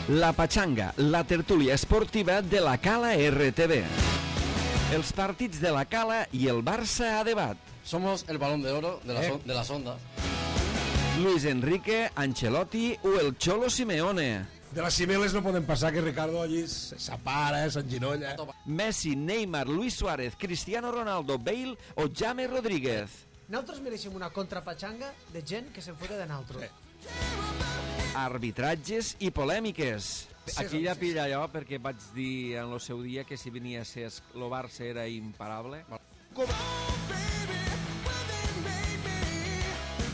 La Pachanga, la tertúlia esportiva de la Cala RTV. Els partits de la Cala i el Barça a debat. Somos el balón de oro de las ondas. Luis Enrique, Ancelotti o el Cholo Simeone. De les cimeles no podem passar, que Ricardo allí s'apara, s'enginolla. Messi, Neymar, Luis Suárez, Cristiano Ronaldo, Bale o James Rodríguez. Nosaltres mereixem una contrapatxanga de gent que se'n fora de nosaltres. Arbitratges i polèmiques. Aquí ja pilla jo, perquè vaig dir en el seu dia que si venia a ser el Barça era imparable.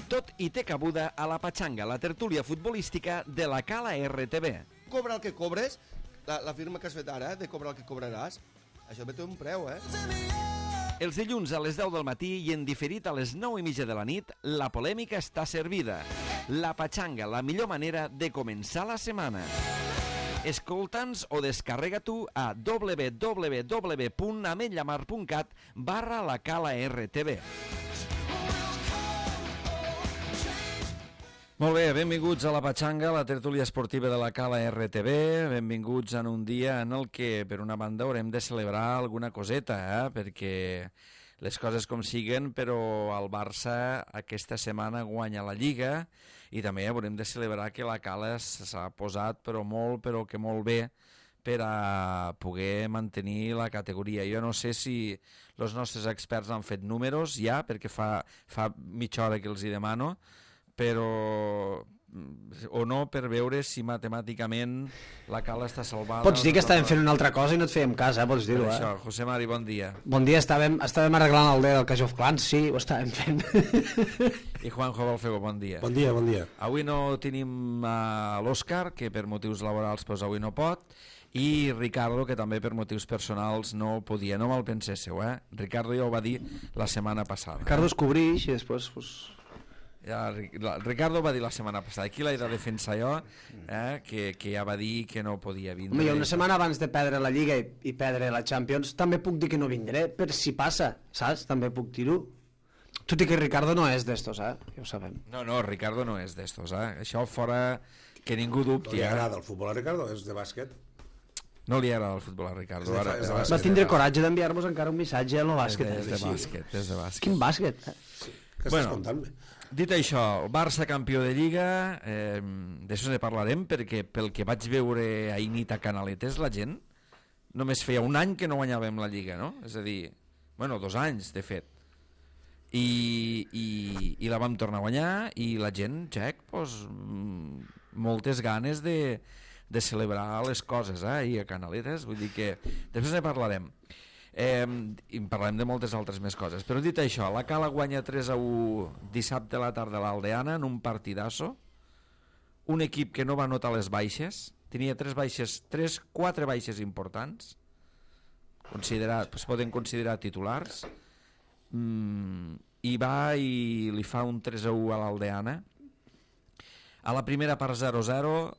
Tot i té cabuda a la Pachanga, la tertúlia futbolística de la Cala RTV. Cobra el que cobres, la firma que has fet ara, de cobrar el que cobraràs, això té un preu, Els dilluns a les 10 del matí i en diferit a les 9:30 de la nit, la polèmica està servida. La Pachanga, la millor manera de començar la setmana. Escolta'ns o descarrega tu a www.ametlllamar.cat/la Cala RTV. Molt bé, benvinguts a la Pachanga, la tertúlia esportiva de la Cala RTV. Benvinguts en un dia en el que, per una banda, haurem de celebrar alguna coseta, perquè les coses com siguen, però el Barça aquesta setmana guanya la Lliga i també haurem de celebrar que la Cala s'ha posat però que molt bé per a poder mantenir la categoria. Jo no sé si els nostres experts han fet números ja, perquè fa mitja hora que els hi demano, però o no, per veure si matemàticament la Cala està salvada. Pots dir que estàvem fent una altra cosa i no et fèiem cas, pots dir-ho. Això, José Mari, bon dia. Bon dia, estàvem arreglant el del Clash of Clans, sí, ho estàvem fent. I Juanjo Balfego, bon dia. Bon dia, bon dia. Avui no tenim l'Òscar, que per motius laborals doncs, avui no pot, i Ricardo, que també per motius personals no podia, no me'l penséssiu, Ricardo ja ho va dir la setmana passada. Ricardo es cobrix i després... Ja, Ricardo va dir la setmana passada, aquí l'he de defensar jo, que ja va dir que no podia vindre. Home, jo una setmana abans de perdre la Lliga i perdre la Champions també puc dir que no vindré, per si passa, saps? També puc dir-ho. Tot i que Ricardo no és d'estos, ja ho sabem. No, Ricardo no és d'estos, això fora que ningú dubti. No li agrada el futbol a Ricardo, és de bàsquet. No li agrada el futbol a Ricardo. Va tindre coratge d'enviar-nos encara un missatge a lo bàsquet. És de bàsquet. Quin bàsquet? Què estàs contant-me? Dit això, Barça campió de Lliga, d'això ne parlarem, perquè pel que vaig veure ahir nit a Canaletes, la gent només feia un any que no guanyàvem la Lliga, no? És a dir, 2 anys, de fet. I la vam tornar a guanyar i la gent, moltes ganes de celebrar les coses ahir a Canaletes, vull dir que després ne parlarem. I parlem de moltes altres més coses, però dit això, la Cala guanya 3-1 dissabte a la tarda a l'Aldeana en un partidasso, un equip que no va notar les baixes, tenia 4 baixes importants, es poden considerar titulars, i va i li fa un 3-1 a l'Aldeana. A la primera part 0-0,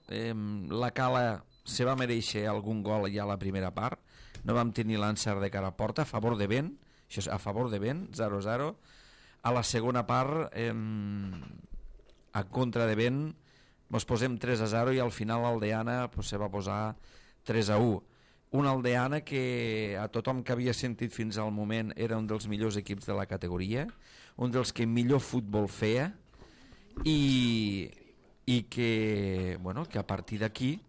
la Cala se va mereixer algun gol ja a la primera part, no vam tenir l'encert de cara a porta, a favor de vent, 0-0. A la segona part, a contra de vent, ens posem 3-0 i al final l'Aldeana se va posar 3-1. Una Aldeana que a tothom que havia sentit fins al moment era un dels millors equips de la categoria, un dels que millor futbol feia i que a partir d'aquí,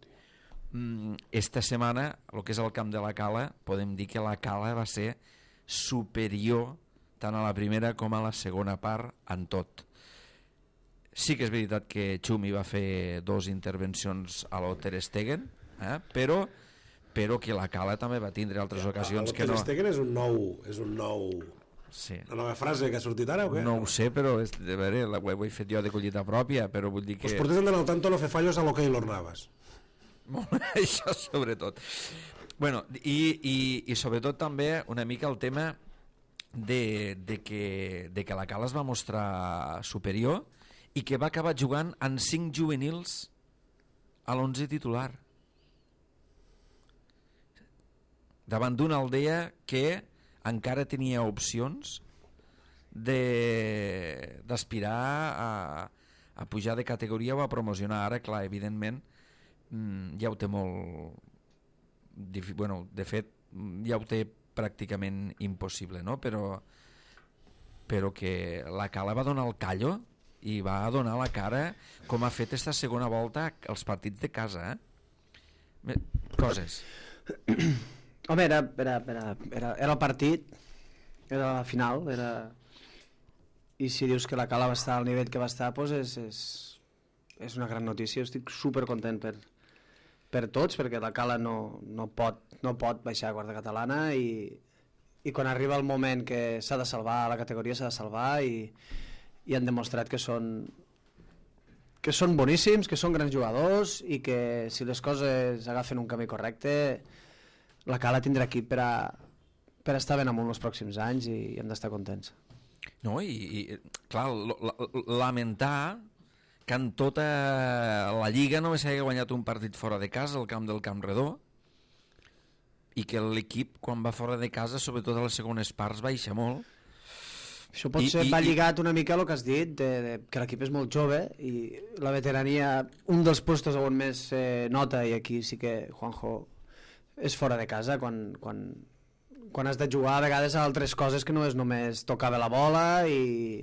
esta setmana, el que és el camp de la Cala, podem dir que la Cala va ser superior tant a la primera com a la segona part en tot. Sí que és veritat que Xumi va fer 2 intervencions a l'Ter Stegen, però que la Cala també va tindre altres ocasions que no... L'Ter Stegen és un nou... Sí. Una nova frase que ha sortit ara o què? No ho sé, però de veure, ho he fet jo de collita pròpia, però vull dir que... Els porters han d'anar al tanto no fer fallos a l'Hockey Los Navas. Això sobretot. Bueno, i sobretot també una mica el tema de que la Cala es va mostrar superior i que va acabar jugant en 5 juvenils a l'11 titular davant d'una Aldea que encara tenia opcions d'aspirar a pujar de categoria o a promocionar. Ara, clar, evidentment ja ho té molt... Bueno, de fet, ja ho té pràcticament impossible, no? Però que la Cala va donar el callo i va donar la cara com ha fet esta segona volta els partits de casa, Coses. Home, era el partit, era la final, i si dius que la Cala va estar al nivell que va estar, doncs és una gran notícia. Estic supercontent per tots, perquè la Cala no pot baixar a quarta catalana i quan arriba el moment que s'ha de salvar la categoria, s'ha de salvar, i han demostrat que són boníssims, que són grans jugadors, i que si les coses agafen un camí correcte, la Cala tindrà equip per estar ben amunt els pròxims anys, i hem d'estar contents. No, i clar, lamentar que en tota la Lliga només s'hagi guanyat un partit fora de casa, al camp del Camp Redó, i que l'equip, quan va fora de casa, sobretot a les segones parts, baixa molt. Això potser va lligat una mica al que has dit, que l'equip és molt jove, i la veterania, un dels puestos on més nota, i aquí sí que Juanjo és fora de casa, quan has de jugar a vegades a altres coses que no és només tocar bé la bola i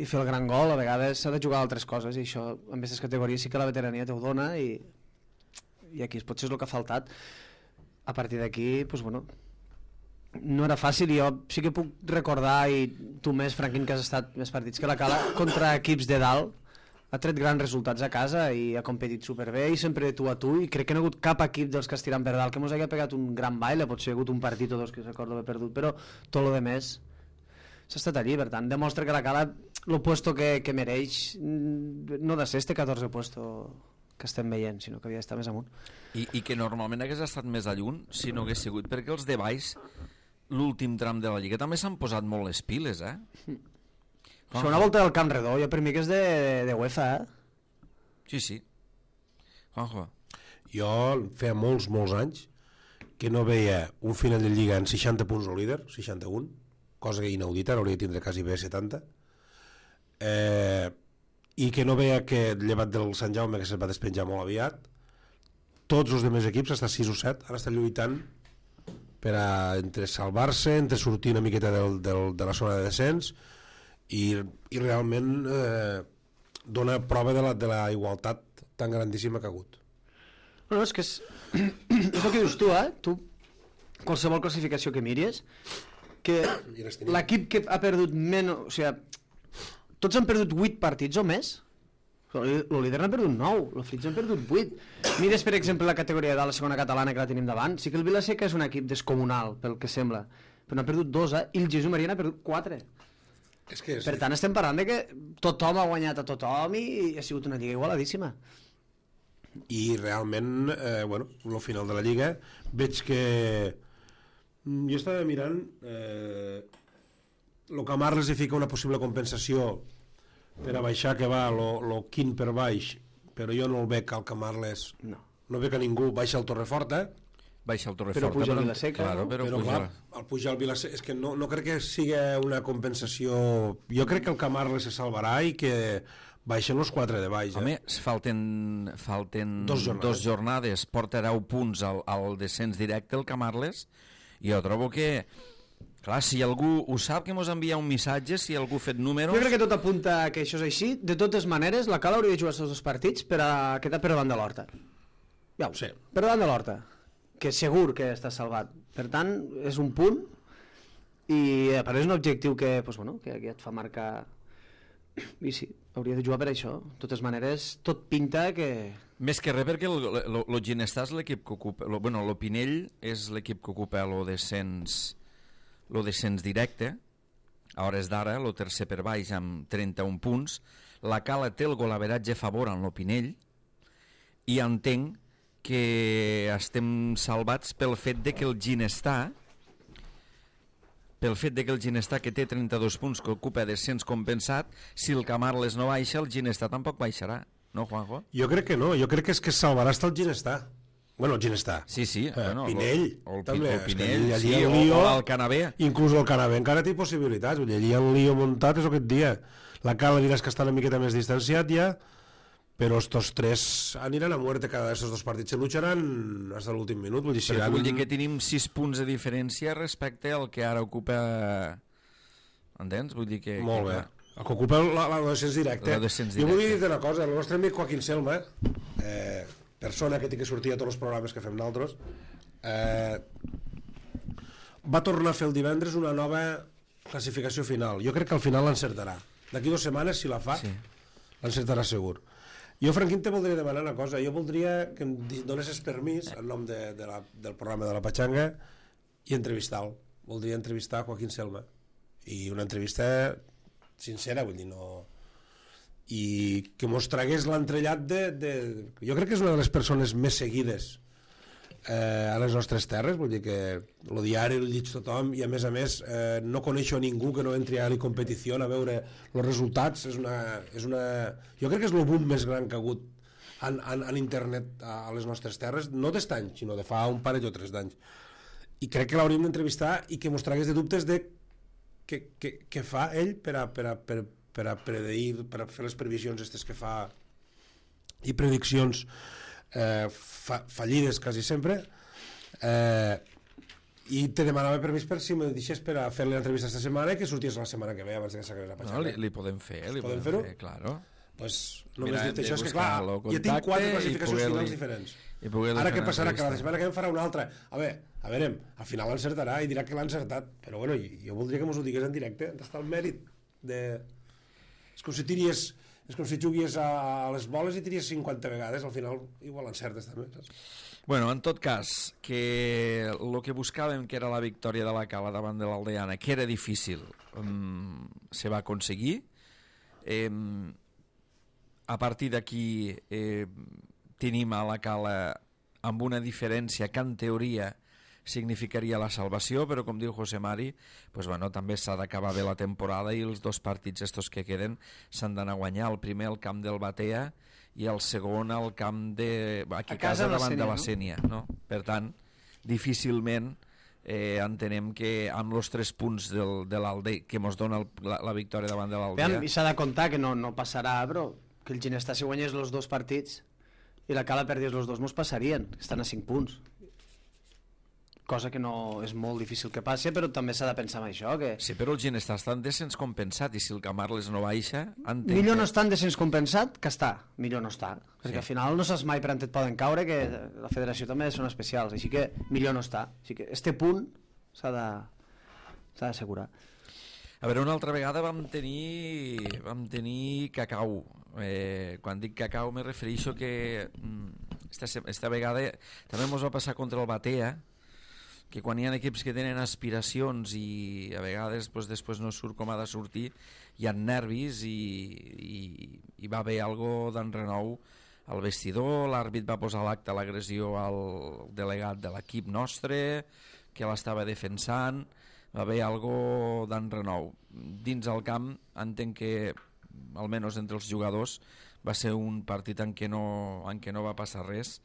fer el gran gol. A vegades s'ha de jugar a altres coses, i això en aquestes categories sí que la veterania te ho dona, i aquí potser és el que ha faltat. A partir d'aquí, doncs bueno, no era fàcil. Jo sí que puc recordar, i tu més, Franquín, que has estat més partits, que la Cala contra equips de dalt ha tret grans resultats a casa i ha competit superbé, i sempre de tu a tu, i crec que no ha hagut cap equip dels que es tiren per dalt que mos hagi pegat un gran baile. Potser ha hagut un partit o dos que recordo haver perdut, però tot lo de més s'ha estat allí. Per tant, demostra que la Cala, el puesto que mereix, no ha de ser este 14 puesto que estem veient, sinó que havia d'estar més amunt. I que normalment hagués estat més a lluny si no hagués sigut perquè els de baix, l'últim tram de la Lliga, també s'han posat molt les piles, Segona volta del Camp Redó, jo per mi que és de UEFA, Sí. Juanjo. Jo feia molts anys que no veia un final de Lliga en 60 punts al líder, 61, cosa inaudita, hauria de tindre quasi bé 70, i que no veia que, llevat del Sant Jaume, que se'n va despenjar molt aviat, tots els demés equips, hasta 6 o 7, han estat lluitant per entre salvar-se, entre sortir una miqueta de la zona de descens, i realment dona prova de la igualtat tan grandíssima que ha hagut. No, és que és el que dius tu, tu, qualsevol classificació que miris, que l'equip que ha perdut menys, o sigui, tots han perdut 8 partits o més. El líder n'ha perdut 9, el Flix n'ha perdut 8. Mires, per exemple, la categoria de la segona catalana, que la tenim davant. Sí que el Vilaseca és un equip descomunal, pel que sembla, però n'ha perdut 2, i el Jesús Maria n'ha perdut 4. Per tant, estem parlant de que tothom ha guanyat a tothom, i ha sigut una lliga igualadíssima. I realment, bueno, al final de la lliga veig que jo estava mirant el Camarles hi fica una possible compensació per a baixar, que va lo quint per baix, però jo no el veig al Camarles, no veig a ningú. Baixa el Torreforta, baixa el Torreforta, però puja el Vilaseca, claro, no? però clar, al pujar el Vilaseca és que no crec que sigui una compensació. Jo crec que el Camarles se salvarà i que baixen els 4 de baix. Home, falten dos jornades, porta 10 punts al descens directe el Camarles, i jo trobo que, clar, si algú ho sap, que mos envia un missatge, si algú ha fet números... Jo crec que tot apunta que això és així. De totes maneres, la Cala hauria de jugar els 2 partits per a quedar per davant de l'Horta. Ja ho sé, per davant de l'Horta, que segur que està salvat. Per tant, és un punt, i a part és un objectiu que, pues, bueno, que et fa marcar... I sí, hauria de jugar per això. De totes maneres, tot pinta que... Més que res perquè el Ginestà és l'equip que ocupa... Bueno, el Pinell és l'equip que ocupa el descens directe, a hores d'ara, el tercer per baix amb 31 punts. La Cala té el golaveratge a favor en el Pinell, i entenc que estem salvats pel fet de que el Ginestà, que té 32 punts, que ocupa descens compensat, si el Camarles no baixa, el Ginestà tampoc baixarà. No, Juanjo? Jo crec que no, jo crec que és que es salvarà hasta el Ginestà. Bueno, el Ginestà. Sí. Bueno, Pinell. El Pinell, sí, o el Canabé. Inclús el Canabé encara té possibilitats. Allí el lío muntat és aquest dia. La Cala diràs que està una miqueta més distanciat ja, però estos tres aniran a muerte cada d'aquests dos partits, se lucharan fins a l'últim minut, vull dir, Però vull dir que tenim 6 punts de diferència respecte al que ara ocupa... Entens? Vull dir que... Molt bé. El que ocupa la descens directe. La descens Jo vull directe. dir una cosa, el nostre amic Joaquín Selma, persona que té que sortir a tots els programes que fem nosaltres, va tornar a fer el divendres una nova classificació final. Jo crec que al final l'encertarà. D'aquí 2 setmanes, si la fa, Sí. l'encertarà segur. Jo, Franquín, te voldria demanar una cosa. Jo voldria que em donessis permís en nom del programa de la Patxanga i entrevistar-lo. Voldria entrevistar Joaquín Selma. I una entrevista sincera, vull dir, no... I que mos tragués l'entrellat de... Jo crec que és una de les persones més seguides a les nostres terres, vull dir que el diari el llig tothom i a més no coneixo a ningú que no entri a la competició a veure els resultats. És una... Jo crec que és el boom més gran que ha hagut en internet a les nostres terres, no d'est any, sinó de fa un parell o 3 d'anys, i crec que l'hauríem d'entrevistar i que mos tragués de dubtes de què fa ell per a predir, per a fer les previsions aquestes que fa i prediccions fallides quasi sempre, i te demanava permís per si me deixés per a fer-li l'entrevista esta setmana i que sorties la setmana que ve abans que s'acabés la Patxanga. No, li podem fer, podem fer-ho? claro. Pues només Mira, dir-te això, és que buscar clar, el jo tinc 4 contacte i classificacions poder-li- finals diferents. i poder-li Ara fer què una passarà? Que la entrevista. setmana que ve en farà una altra. A veure, al final l'encertarà i dirà que l'ha encertat, però bueno, jo voldria que mos ho digués en directe, on està el mèrit de... És com si tiries... És com si jugués a les boles i tiries 50 vegades, al final igual encertes també, saps? Bueno, en tot cas, que el que buscàvem, que era la victòria de la Cala davant de l'Aldeana, que era difícil, se va aconseguir. A partir d'aquí tenim a la Cala amb una diferència que en teoria significaria la salvació, però com diu José Mari, pues bueno, també s'ha d'acabar bé la temporada i els 2 partits estos que queden s'han d'anar a guanyar, el primer al camp del Batea i el segon al camp de... aquí a casa davant de la Sénia, no? Per tant, difícilment entenem que amb els 3 punts de l'Alde que ens dona la victòria davant de l'Aldea... I s'ha de comptar que no passarà, però que el Ginestà si guanyés els 2 partits i la Cala perdés els 2 mos passarien, estan a 5 punts, cosa que no és molt difícil que passi, però també s'ha de pensar en això, que... Sí, però el Ginestà està en descens compensat i si el Camarles no baixa... Millor no està en descens compensat que està, millor no està, perquè al final no saps mai per on et poden caure, que la federació també són especials, així que millor no està, així que este punt s'ha d'assegurar. A veure, una altra vegada vam tenir cacau. Quan dic cacau me refereixo que esta vegada també ens va passar contra el Batea, que quan hi ha equips que tenen aspiracions i a vegades després no surt com ha de sortir, hi ha nervis i va haver algo d'enrenou al vestidor. L'àrbit va posar l'acte a l'agressió al delegat de l'equip nostre, que l'estava defensant, va haver algo d'enrenou. Dins el camp entenc que, almenys entre els jugadors, va ser un partit en què no va passar res,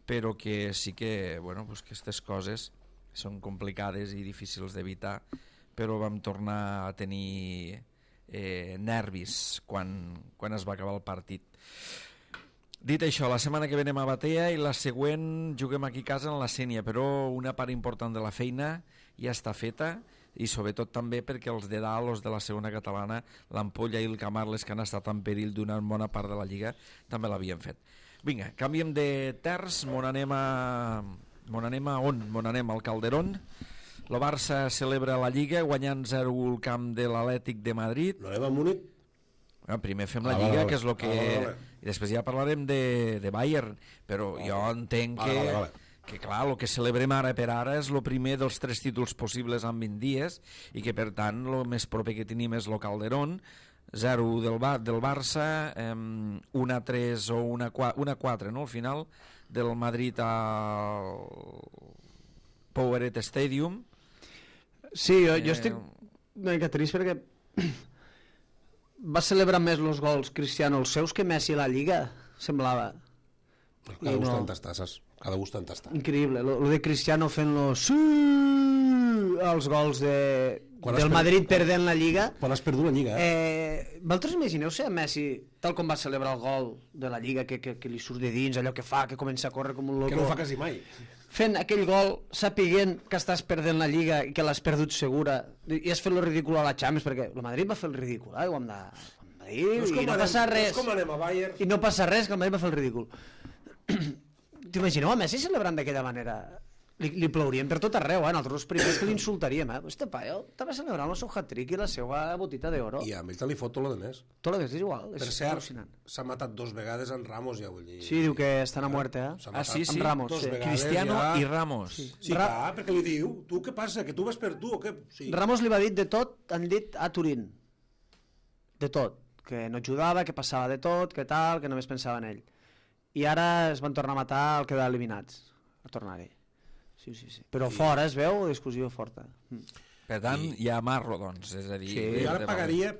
però que sí que, bueno, pues que aquestes coses són complicades i difícils d'evitar, però vam tornar a tenir nervis quan es va acabar el partit. Dit això, la setmana que ve anem a Batea i la següent juguem aquí a casa en la Sénia, però una part important de la feina ja està feta i sobretot també perquè els de dalt, els de la segona catalana, l'Ampolla i el Camarles, que han estat en perill d'una bona part de la Lliga, també l'havien fet. Vinga, canviem de terç, on anem al Calderón. El Barça celebra la Lliga guanyant 0 al camp de l'Atlètic de Madrid. No anem a Múnich? Primer fem la Lliga, que és el que... I després ja parlarem de Bayern, però jo entenc que clar, el que celebrem ara per ara és el primer dels 3 títols possibles en 20 dies i que per tant el més proper que tenim és el Calderón, 0 del Barça, 1-3 o 1-4, no? Al final del Madrid al Powerade Stadium. Sí, jo estic una mica trist perquè va celebrar més els gols Cristiano els seus que Messi a la Lliga, semblava. Cada gust tantes tasses, cada gust tantes tasses. Increïble, lo de Cristiano fent-lo sí! Els gols del Madrid perdent la Lliga. Quan has perdut la Lliga, Vosaltres imagineu-se a Messi, tal com va celebrar el gol de la Lliga, que li surt de dins, allò que fa, que comença a córrer com un loco... Que no ho fa quasi mai. Fent aquell gol, sapiguent que estàs perdent la Lliga i que l'has perdut segura, i has fet el ridícul a la Champions, perquè el Madrid va fer el ridícul, ho hem de dir, i no passa res. No és com anem a Bayern. I no passa res, que el Madrid va fer el ridícul. T'imagineu a Messi celebrant d'aquella manera? Li plouríem per tot arreu, nosaltres els primers que l'insultaríem, Este paio estava celebrant el seu hat-trick i la seva botita d'oro. I a ell te li fot tot el de més. Tot el que és igual, per és cert, al·lucinant. s'ha matat 2 vegades en Ramos, ja vull dir. Sí, diu que estan a muerte, sí, amb Ramos, dos sí. vegades Cristiano ja... i Ramos. Sí, clar, perquè li diu, tu què passa, que tu vas per tu o què? Sí. Ramos li va dir de tot, han dit a Turín. De tot. Que no ajudava, que passava de tot, que tal, que només pensava en ell. I ara es van tornar a matar el que quedava eliminats. A tornar-hi. Sí. Però fora es veu discussió forta. Per tant, hi ha marro, doncs. És a dir, I ara pagaria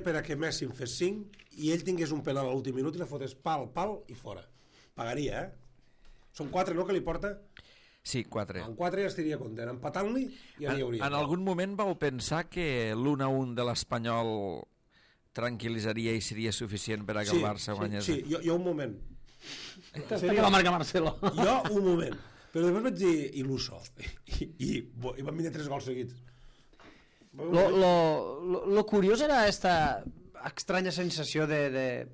per a que Messi en fes 5 i ell tingués un penal a l'últim minut i la fotés pal i fora. Pagaria, Són 4, no, que li porta? Sí, 4. En 4 ja estaria content. Empatant-li ja n'hi hauria. En algun moment vau pensar que l'1-1 de l'Espanyol tranquil·litzaria i seria suficient per a que el Barça guanyés? Sí, jo un moment. Que va marcar Marcelo. Jo un moment. Però després vaig dir il·luso. I van venir 3 gols seguits. Lo curiós era esta estranya sensació de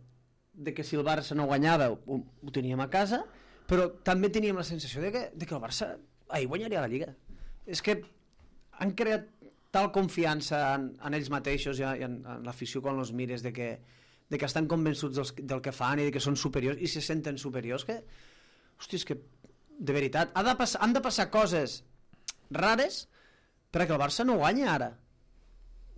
que si el Barça no guanyava ho teníem a casa, però també teníem la sensació de que el Barça guanyaria la Lliga. És que han creat tal confiança en ells mateixos i en l'afició quan els mires de que estan convençuts del que fan i de que són superiors i se senten superiors que, hòstia, és que de veritat han de passar coses rares perquè el Barça no guanya ara.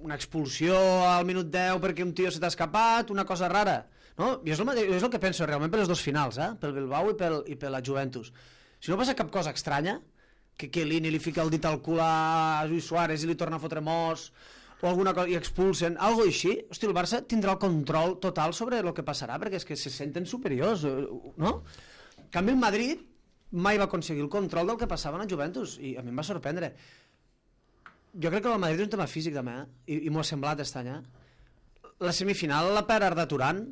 Una expulsió al minut 10 perquè un tio se t'ha escapat, una cosa rara, no? Jo és el que penso realment per les dos finals, pel Bilbao i per la Juventus. Si no passa cap cosa estranya, que Chiellini li fica el dit al cul a Luis Suárez i li torna a fotre morts o alguna cosa i expulsen, algo així, hosti, el Barça tindrà el control total sobre el que passarà perquè és que se senten superiors, no? En canvi el Madrid mai va aconseguir el control del que passava en la Juventus i a mi em va sorprendre. Jo crec que el Madrid és un tema físic també, i m'ho ha semblat aquest any. La semifinal la perd Arda Turan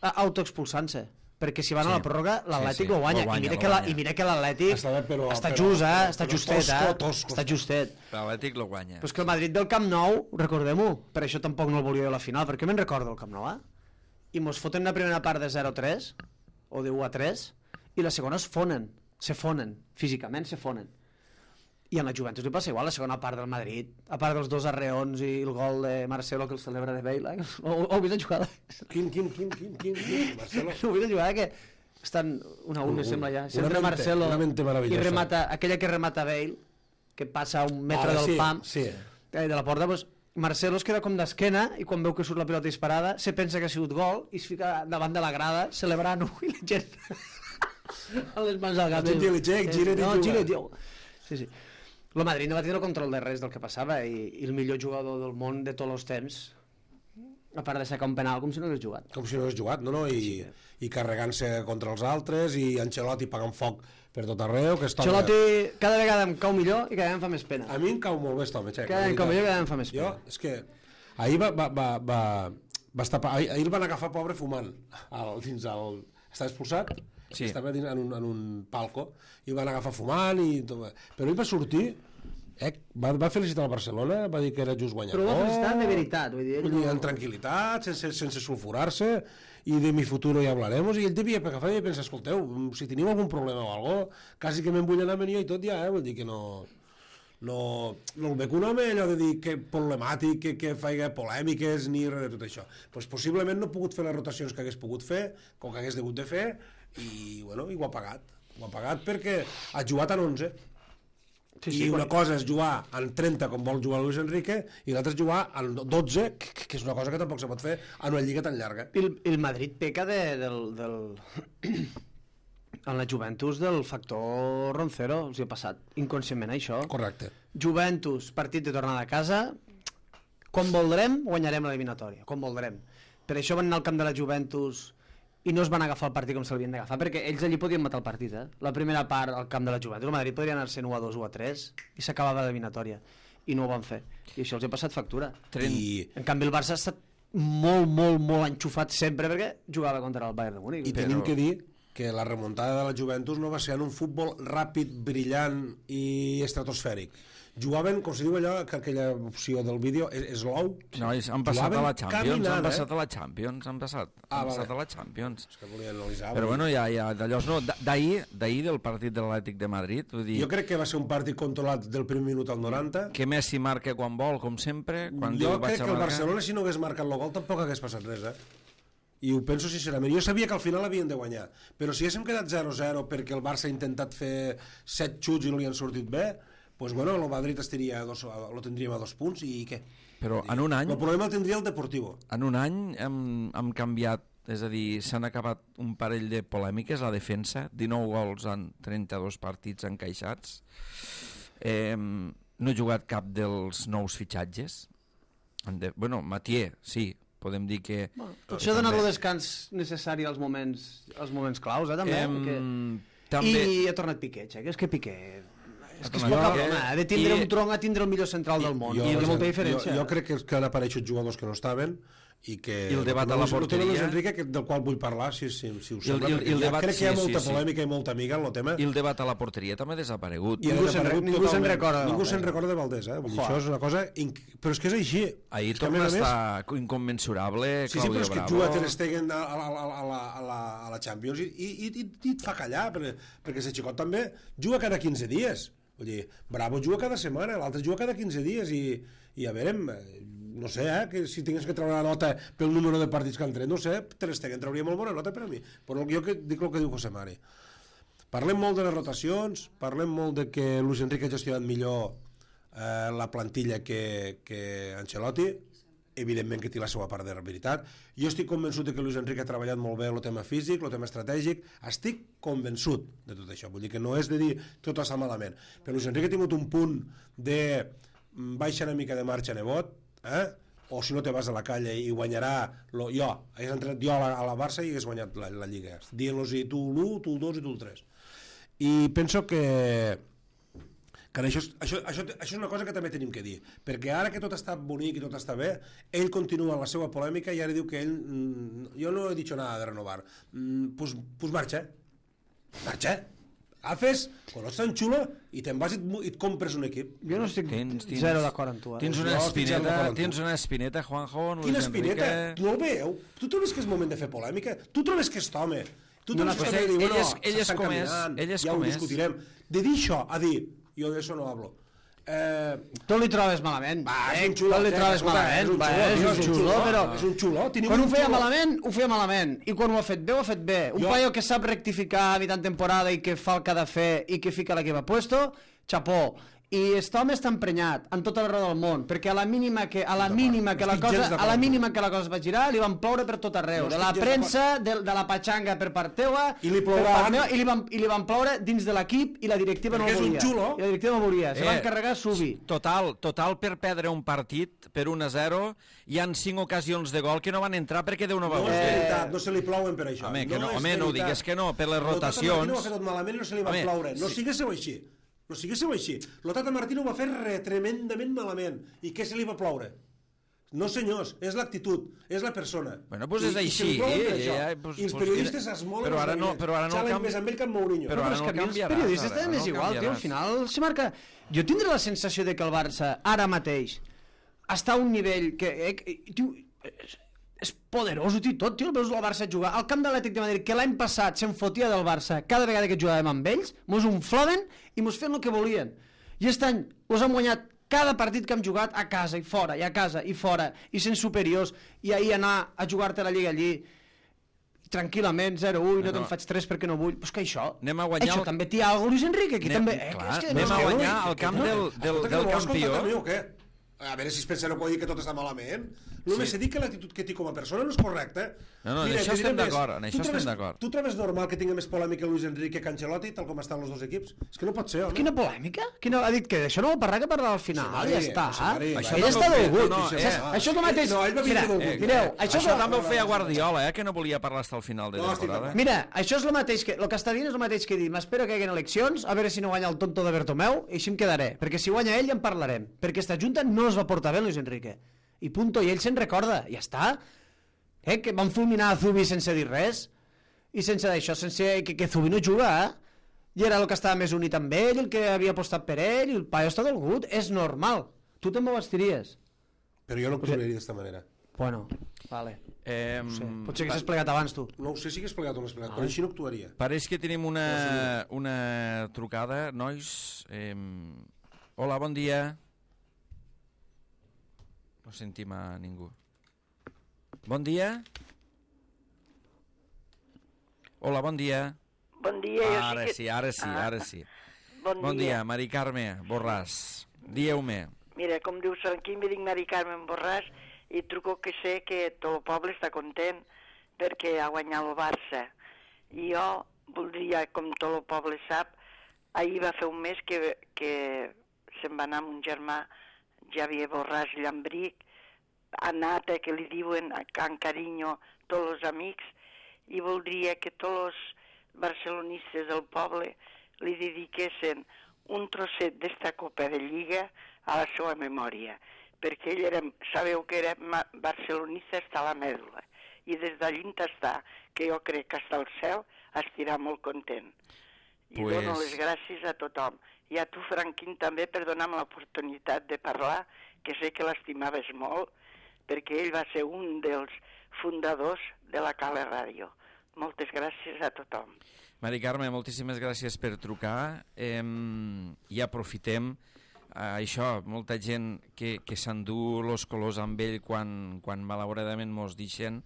autoexpulsant-se, perquè si van a la pròrroga l'Atlètic ho guanya, i mira que l'Atlètic està just, està justet, està justet. L'Atlètic lo guanya. Però és que el Madrid del Camp Nou, recordem-ho, per això tampoc no el volia a la final, perquè me'n recordo el Camp Nou, i mos foten la primera part de 0-3 o de 1-3 i la segona se fonen, físicament se fonen. I en la Juventus li passa igual, la segona part del Madrid, a part dels 2 arreons i el gol de Marcelo que el celebra de Bale, heu vist la jugada? Quin, Marcelo? Heu vist la jugada que estan 1-1, me sembla ja, sempre Marcelo i remata, aquella que remata Bale, que passa a 1 metre del pam, de la porta, doncs Marcelo es queda com d'esquena i quan veu que surt la pilota disparada se pensa que ha sigut gol i es fica davant de la grada celebrant-ho i la gent amb les mans al cap. Gira't. Sí. El Madrid no va tenir el control de res del que passava i el millor jugador del món de tots els temps, a part de sacar un penal com si no hagués jugat. Com si no hagués jugat, no? I carregant-se contra els altres i Ancelotti pagant foc per tot arreu. Ancelotti cada vegada em cau millor i cada vegada em fa més pena. A mi em cau molt bé aquest home, Xec. Cada vegada em cau millor i cada vegada em fa més pena. És que ahir ahir el van agafar pobre fumant dins el... Estava expulsat? Sí. Estava en un palco i el van agafar fumant però ell va sortir va felicitar el Barcelona, va dir que era just guanyador, però va felicitar de veritat, vull dir, en tranquil·litat, sense sulfurar-se i de mi futuro ja hablaremos i ell devia agafar i pensar, escolteu, si teniu algun problema o algo, quasi que me'n vull anar a venir i tot ja, vull dir que no el veig un home allò de dir que problemàtic, que faig polèmiques ni res de tot això, doncs possiblement no ha pogut fer les rotacions que hagués pogut fer com que hagués degut de fer i bueno, ho ha pagat perquè ha jugat en 11 i una cosa és jugar en 30 com vol jugar Luis Enrique i l'altra és jugar en 12 que és una cosa que tampoc se pot fer en una lliga tan llarga. El Madrid peca en la Juventus del factor Roncero, els ha passat inconscientment això. Correcte. Juventus, partit de tornada a casa, quan voldrem guanyarem l'eliminatòria, quan voldrem. Per això van anar al camp de la Juventus i no es van agafar el partit com se l'havien d'agafar, perquè ells allí podien matar el partit, La primera part al camp de la Juventus, el Madrid podria anar-se 1-2 o 3 i s'acabava l'eliminatòria. i no ho van fer. I això els ha passat factura. I En canvi, el Barça ha estat molt enxufat sempre perquè jugava contra el Bayern de Múnich. I tenim que dir que la remuntada de la Juventus no va ser en un futbol ràpid, brillant i estratosfèric. Jugaven, com se diu allò, que aquella opció del vídeo, slow. No, han passat a la Champions, caminant, han passat a la Champions, han passat a la Champions. És que volia analitzar. Però bueno, ja d'allò no... D'ahir del partit de l'Atlètic de Madrid, vull dir... Jo crec que va ser un partit controlat del primer minut al 90. Que Messi marca quan vol, com sempre. Quan Jo crec que el Barcelona, si no hagués marcat el gol, tampoc hagués passat res, I ho penso sincerament. Jo sabia que al final havien de guanyar, però si haguéssim quedat 0-0 perquè el Barça ha intentat fer 7 xuts i no li han sortit bé, pues bueno, el Madrid lo tindríem a 2 punts i què? Però en un any... El problema el tindria el Deportivo. En un any hem canviat, és a dir, s'han acabat un parell de polèmiques, la defensa, 19 gols en 32 partits encaixats. No he jugat cap dels nous fitxatges. Bueno, Mathieu, sí, podem dir que... Potser ha donat el descans necessari als moments claus, també. I ha tornat Piqué, és que Piqué... És que és poca broma, ha de tindre un tronc a tindre el millor central del món. I hi ha molta diferència. Jo crec que han apareixut jugadors que no estaven i que... I el debat a la porteria... Luis Enrique, del qual vull parlar, si us sembla, crec que hi ha molta polèmica i molta amiga en el tema. I el debat a la porteria també ha desaparegut. Ningú se'n recorda. Ningú se'n recorda de Valdés, Això és una cosa... Però és que és així. Ahir torna a estar inconmensurable Claudio Bravo. Sí, però és que juga Ter Stegen a la Champions i et fa callar, perquè ese xicot també juga cada 15 dies. Vull dir, Bravo juga cada setmana, l'altre juga cada 15 dies i a veure, no sé, que si tingués que treure la nota pel número de partits que han tret, no sé, Ter Stegen trauria molt bona nota per a mi, però jo dic el que diu José Mari. Parlem molt de les rotacions, parlem molt de que Luis Enrique ha gestionat millor la plantilla que Ancelotti, evidentment que té la seva part de veritat. Jo estic convençut que Luis Enrique ha treballat molt bé el tema físic, el tema estratègic, estic convençut de tot això, vull dir que no és de dir tot està malament, però Luis Enrique ha tingut un punt de baixa una mica de marxa nebot, o si no te vas a la calle i guanyarà hagués entrenat jo a la Barça i hagués guanyat la Lliga, dient-los tu l'1, tu el 2 i tu el 3, i penso que això és una cosa que també tenim que dir, perquè ara que tot està bonic i tot està bé, ell continua la seva polèmica i ara diu que ell jo no he dit nada de renovar, pues marxa, haces, quan ets tan xulo i te'n vas i et compres un equip. Jo no estic zero d'acord amb tu. Tens una espineta, Juanjo? Quina espineta? Tu no el veieu? Tu trobes que és moment de fer polèmica? Tu trobes que és home? Tu trobes que ell és com és. Ja ho discutirem. De dir això a dir jo d'això no hablo. Tu li trobes malament. És un xulo. Tu li trobes malament. És un xulo. Quan ho feia malament. I quan ho ha fet bé, Un paio que sap rectificar a mitjan temporada i que fa el que ha de fer i que fica l'equip a puesto, xapó. I aquest home està emprenyat en tota l'arreu del món, perquè a la mínima que la cosa va girar li van ploure per tot arreu, de la premsa, de la patxanga per part teua, i li van ploure dins de l'equip i la directiva no ho volia. Se van carregar Subi. Total, per perdre un partit per 1-0 hi han 5 ocasions de gol que no van entrar perquè Déu no va voler. No és veritat, no se li plouen per això. Home, no ho digues que no, per les rotacions. No ho ha fet tot malament i no se li van ploure. No siguéssiu així. Lo Tata Martino ho va fer tremendament malament. I què se li va ploure? No, senyors, és l'actitud, és la persona. Bueno, doncs és així. I els periodistes es molen més amb ell que amb Mourinho. Però ara no canviarà. Els periodistes tenen més igual, tio, al final se marca... Jo tindré la sensació de que el Barça, ara mateix, està a un nivell que... És poderós i tot, tio, el veus el Barça jugar al camp de l'Atlètic de Madrid, que l'any passat se'n fotia del Barça cada vegada que jugàvem amb ells, mos inflaven i mos feien el que volien. I aquest any us han guanyat cada partit que hem jugat a casa i fora, i a casa i fora, i sent superiors, i ahir anar a jugar-te la Lliga allí tranquil·lament, 0-1, i no te'n faig 3 perquè no vull. Pues que això també té alguna cosa, Luis Enrique, aquí també. Anem a guanyar al camp del campió. A veure si es pensa no puc dir que tot està malament. Només he dit que l'actitud que té com a persona no és correcta. No, en això estem d'acord, en això estem d'acord. Tu trobes normal que tingui més polèmica Luis Enrique que Ancelotti, tal com estan els dos equips? És que no pot ser, home. Quina polèmica? Ha dit que d'això no vol parlar, que parlarà al final, ja està. Això Ell està dolgut. Això és el mateix. No, ell va vindre dolgut. Mireu, això també ho feia Guardiola, que no volia parlar fins al final de temporada. Mira, això és el mateix que... El que està dient és el mateix que dir, m'espero que hi hagi eleccions, a veure si no guanya el tonto de Bertomeu, i així em quedaré. Perquè si guanya ell ja en parlarem. Perquè esta junta no es va portar bé, Luis Enrique. I punto, i ell se'n recorda, ja està. Que van fulminar a Zubi sense dir res, i sense d'això, sense que Zubi no juga, i era el que estava més unit amb ell, el que havia apostat per ell, i el paio està dolgut, és normal. Tu també ho vestiries. Però jo no ho posaria d'esta manera. Bueno, vale. No sé. Potser que s'has plegat abans, tu. No ho sé si que has plegat o no has plegat, però així no actuaria. Pareix que tenim una trucada, nois. Hola, bon dia. No sentim a ningú. Bon dia. Hola, bon dia. Bon dia. Ara sí. Bon dia, Mari Carme Borràs. Dieu-me. Mira, com dius, aquí me dic Mari Carme Borràs i truco que sé que tot el poble està content perquè ha guanyat el Barça. I jo voldria, com tot el poble sap, ahir va fer un mes que se'n va anar amb un germà, Javier Borràs Llambric, a Nata, que li diuen amb carinyo tots els amics, i voldria que tots els barcelonistes del poble li dediquessin un trosset d'esta Copa de Lliga a la seva memòria, perquè ell era, sabeu que era barcelonista està a la mèdula, i des d'allí està, que jo crec que està al cel, estirà molt content. I dono les gràcies a tothom. I a tu, Franquín, també per donar-me l'oportunitat de parlar, que sé que l'estimaves molt, perquè ell va ser un dels fundadors de la Cala Ràdio. Moltes gràcies a tothom. Mari Carme, moltíssimes gràcies per trucar. I aprofitem això, molta gent que s'endú els colors amb ell quan malauradament mos deixen,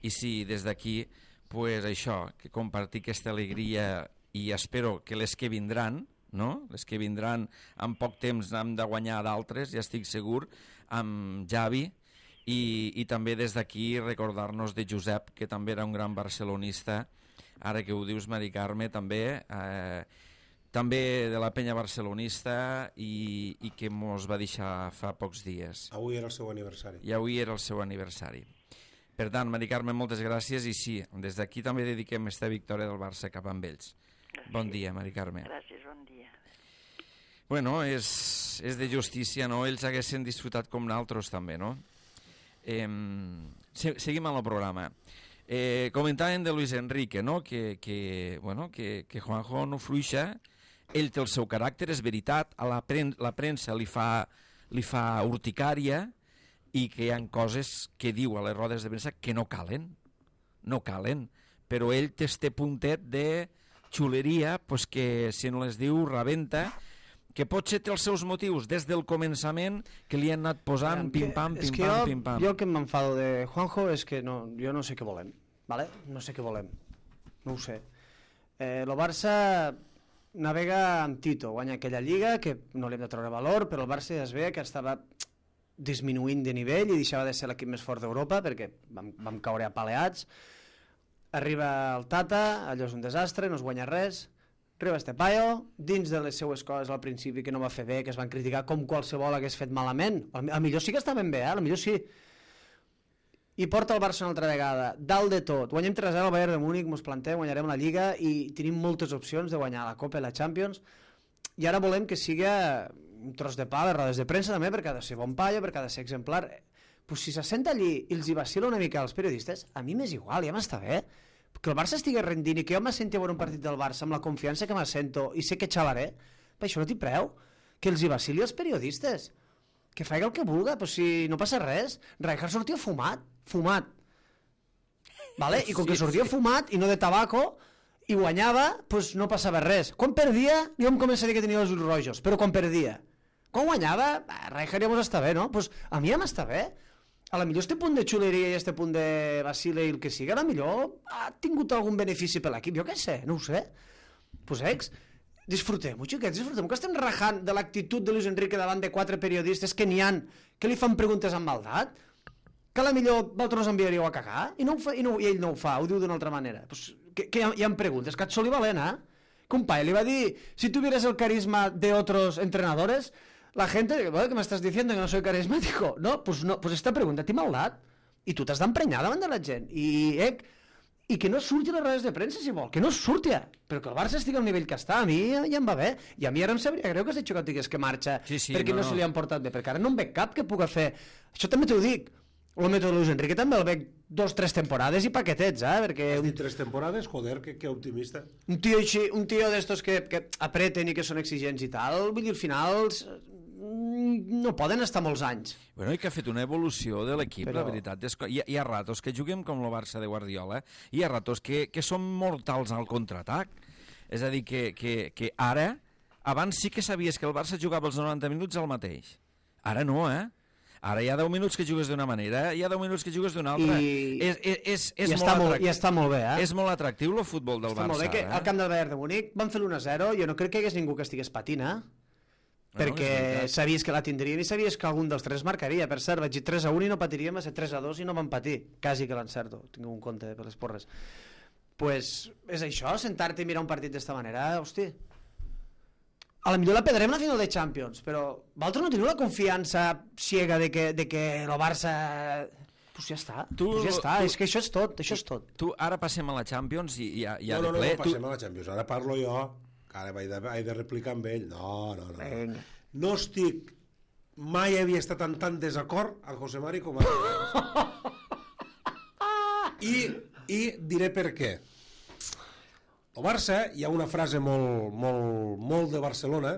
i sí, des d'aquí, pues això, que compartir aquesta alegria, i espero que les que vindran, no? Les que vindran en poc temps hem de guanyar d'altres, ja estic segur, amb Javi, i també des d'aquí recordar-nos de Josep, que també era un gran barcelonista, ara que ho dius, Mari Carme, també de la penya barcelonista, i que mos va deixar fa pocs dies. Avui era el seu aniversari. I avui era el seu aniversari. Per tant, Mari Carme, moltes gràcies, i sí, des d'aquí també dediquem esta victòria del Barça cap amb ells. Gràcies. Bon dia, Mari Carme. Gràcies, bon dia. Bueno, és de justícia, no? Ells haguessin disfrutat com nosaltres també, no? Seguim amb el programa. Comentàvem de Luis Enrique, no? Que Juanjo no fluixa, ell té el seu caràcter, és veritat, a la premsa li fa urticària, i que hi ha coses que diu a les rodes de premsa que no calen, però ell té este puntet de xuleria, pues que si no les diu rebenta, que potser té els seus motius des del començament, que li han anat posant pim-pam, pim-pam. Jo el que m'enfado de Juanjo és que jo no sé què volem, ¿vale? No sé què volem, no ho sé. El Barça navega amb Tito, guanya aquella lliga, que no li hem de treure valor, però el Barça ja es veia que estava disminuint de nivell i deixava de ser l'equip més fort d'Europa, perquè vam caure apaleats. Arriba el Tata, allò és un desastre, no es guanya res. Arriba este paio, dins de les seues coses al principi que no va fer bé, que es van criticar com qualsevol hagués fet malament. A millor sí que està ben bé, a millor sí. I porta el Barça una altra vegada, dalt de tot. Guanyem 3-0 al Bayern de Múnich, mos plantem, guanyarem la Lliga i tenim moltes opcions de guanyar la Copa i la Champions. I ara volem que siga un tros de pa a les rodes de premsa també, perquè ha de ser bon paio, perquè ha de ser exemplar. Pues si s'assenta allí i els hi vacila una mica als periodistes, a mi m'és igual, ja m'està bé. Que el Barça estigui rendint i que jo m'assenti a veure un partit del Barça amb la confiança que m'assento i sé que xalaré, per això no t'hi preu. Que els hi vacili als periodistes. Que faig el que vulga, però si no passa res. Rijkaard sortia fumat. Vale? I com que sortia fumat i no de tabaco, i guanyava, doncs no passava res. Quan perdia, jo em començaria a dir que tenia els ulls rojos, però quan perdia. Quan guanyava, Rijkaard ja mos està bé, no? Doncs a mi ja m'està bé. A la millor este punt de xuleria i este punt de vacile i el que siga, a la millor ha tingut algun benefici per l'equip, jo què sé, no ho sé. Doncs disfrutem-ho, xiquets, disfrutem-ho, que estem rajant de l'actitud de Luis Enrique davant de 4 periodistes que n'hi han, que li fan preguntes amb maldat, que a la millor vosaltres enviaríeu a cagar, i ell no ho fa, ho diu d'una altra manera. Pues, que hi ha preguntes, que et soli valent, que un paio li va dir, si tuvieras el carisma de otros entrenadores, la gente, bueno, ¿qué me estás diciendo que no soy carismático? No, pues esta pregunta té maldat, i tu t'has d'emprenyar davant de la gent, i que no surti a les rodes de premsa, si vol, que no surti, però que el Barça estigui al nivell que està, a mi ja em va bé, i a mi ara em sabria greu que aquest xicot digués que marxa perquè no se li han portat bé, perquè ara no em veig cap que puga fer, això també t'ho dic, el mètode de Luis Enrique també el veig 2-3 temporades i paquetets, perquè... Has dit 3 temporades? Joder, que optimista. Un tio així, un tio d'estos que apreten i que són exigents i tal, vull dir, al final no poden estar molts anys. Bueno, i que ha fet una evolució de l'equip, la veritat. Hi ha ratos que juguem com el Barça de Guardiola, i hi ha ratos que són mortals al contraatac. És a dir, que ara, abans sí que sabies que el Barça jugava els 90 minuts al mateix. Ara no, Ara hi ha 10 minuts que jugues d'una manera, hi ha 10 minuts que jugues d'una altra. I està molt bé, És molt atractiu el futbol del Barça. Està molt bé que al camp del Bayern de Munic van fer l'1-0, jo no crec que hi hagués ningú que estigués patint, perquè sabies que la tindrien i sabies que algun dels tres marcaria. Per cert, vaig dir 3-1 i no patiríem, va ser 3-2 i no van patir. Quasi que l'encerto, tinc un compte per les porres. Pues és això, sentar-te i mirar un partit d'esta manera, hosti. A la millor la perdrem a la final de Champions, però vosaltres no teniu la confiança ciega de que el Barça... Pues ja està, és que això és tot. Tu, ara passem a la Champions i ja de ple... No passem a la Champions, ara parlo jo, que ara he de replicar amb ell. No. No estic... Mai havia estat en tant desacord amb José Mari com ara. I diré per què. El Barça, hi ha una frase molt de Barcelona,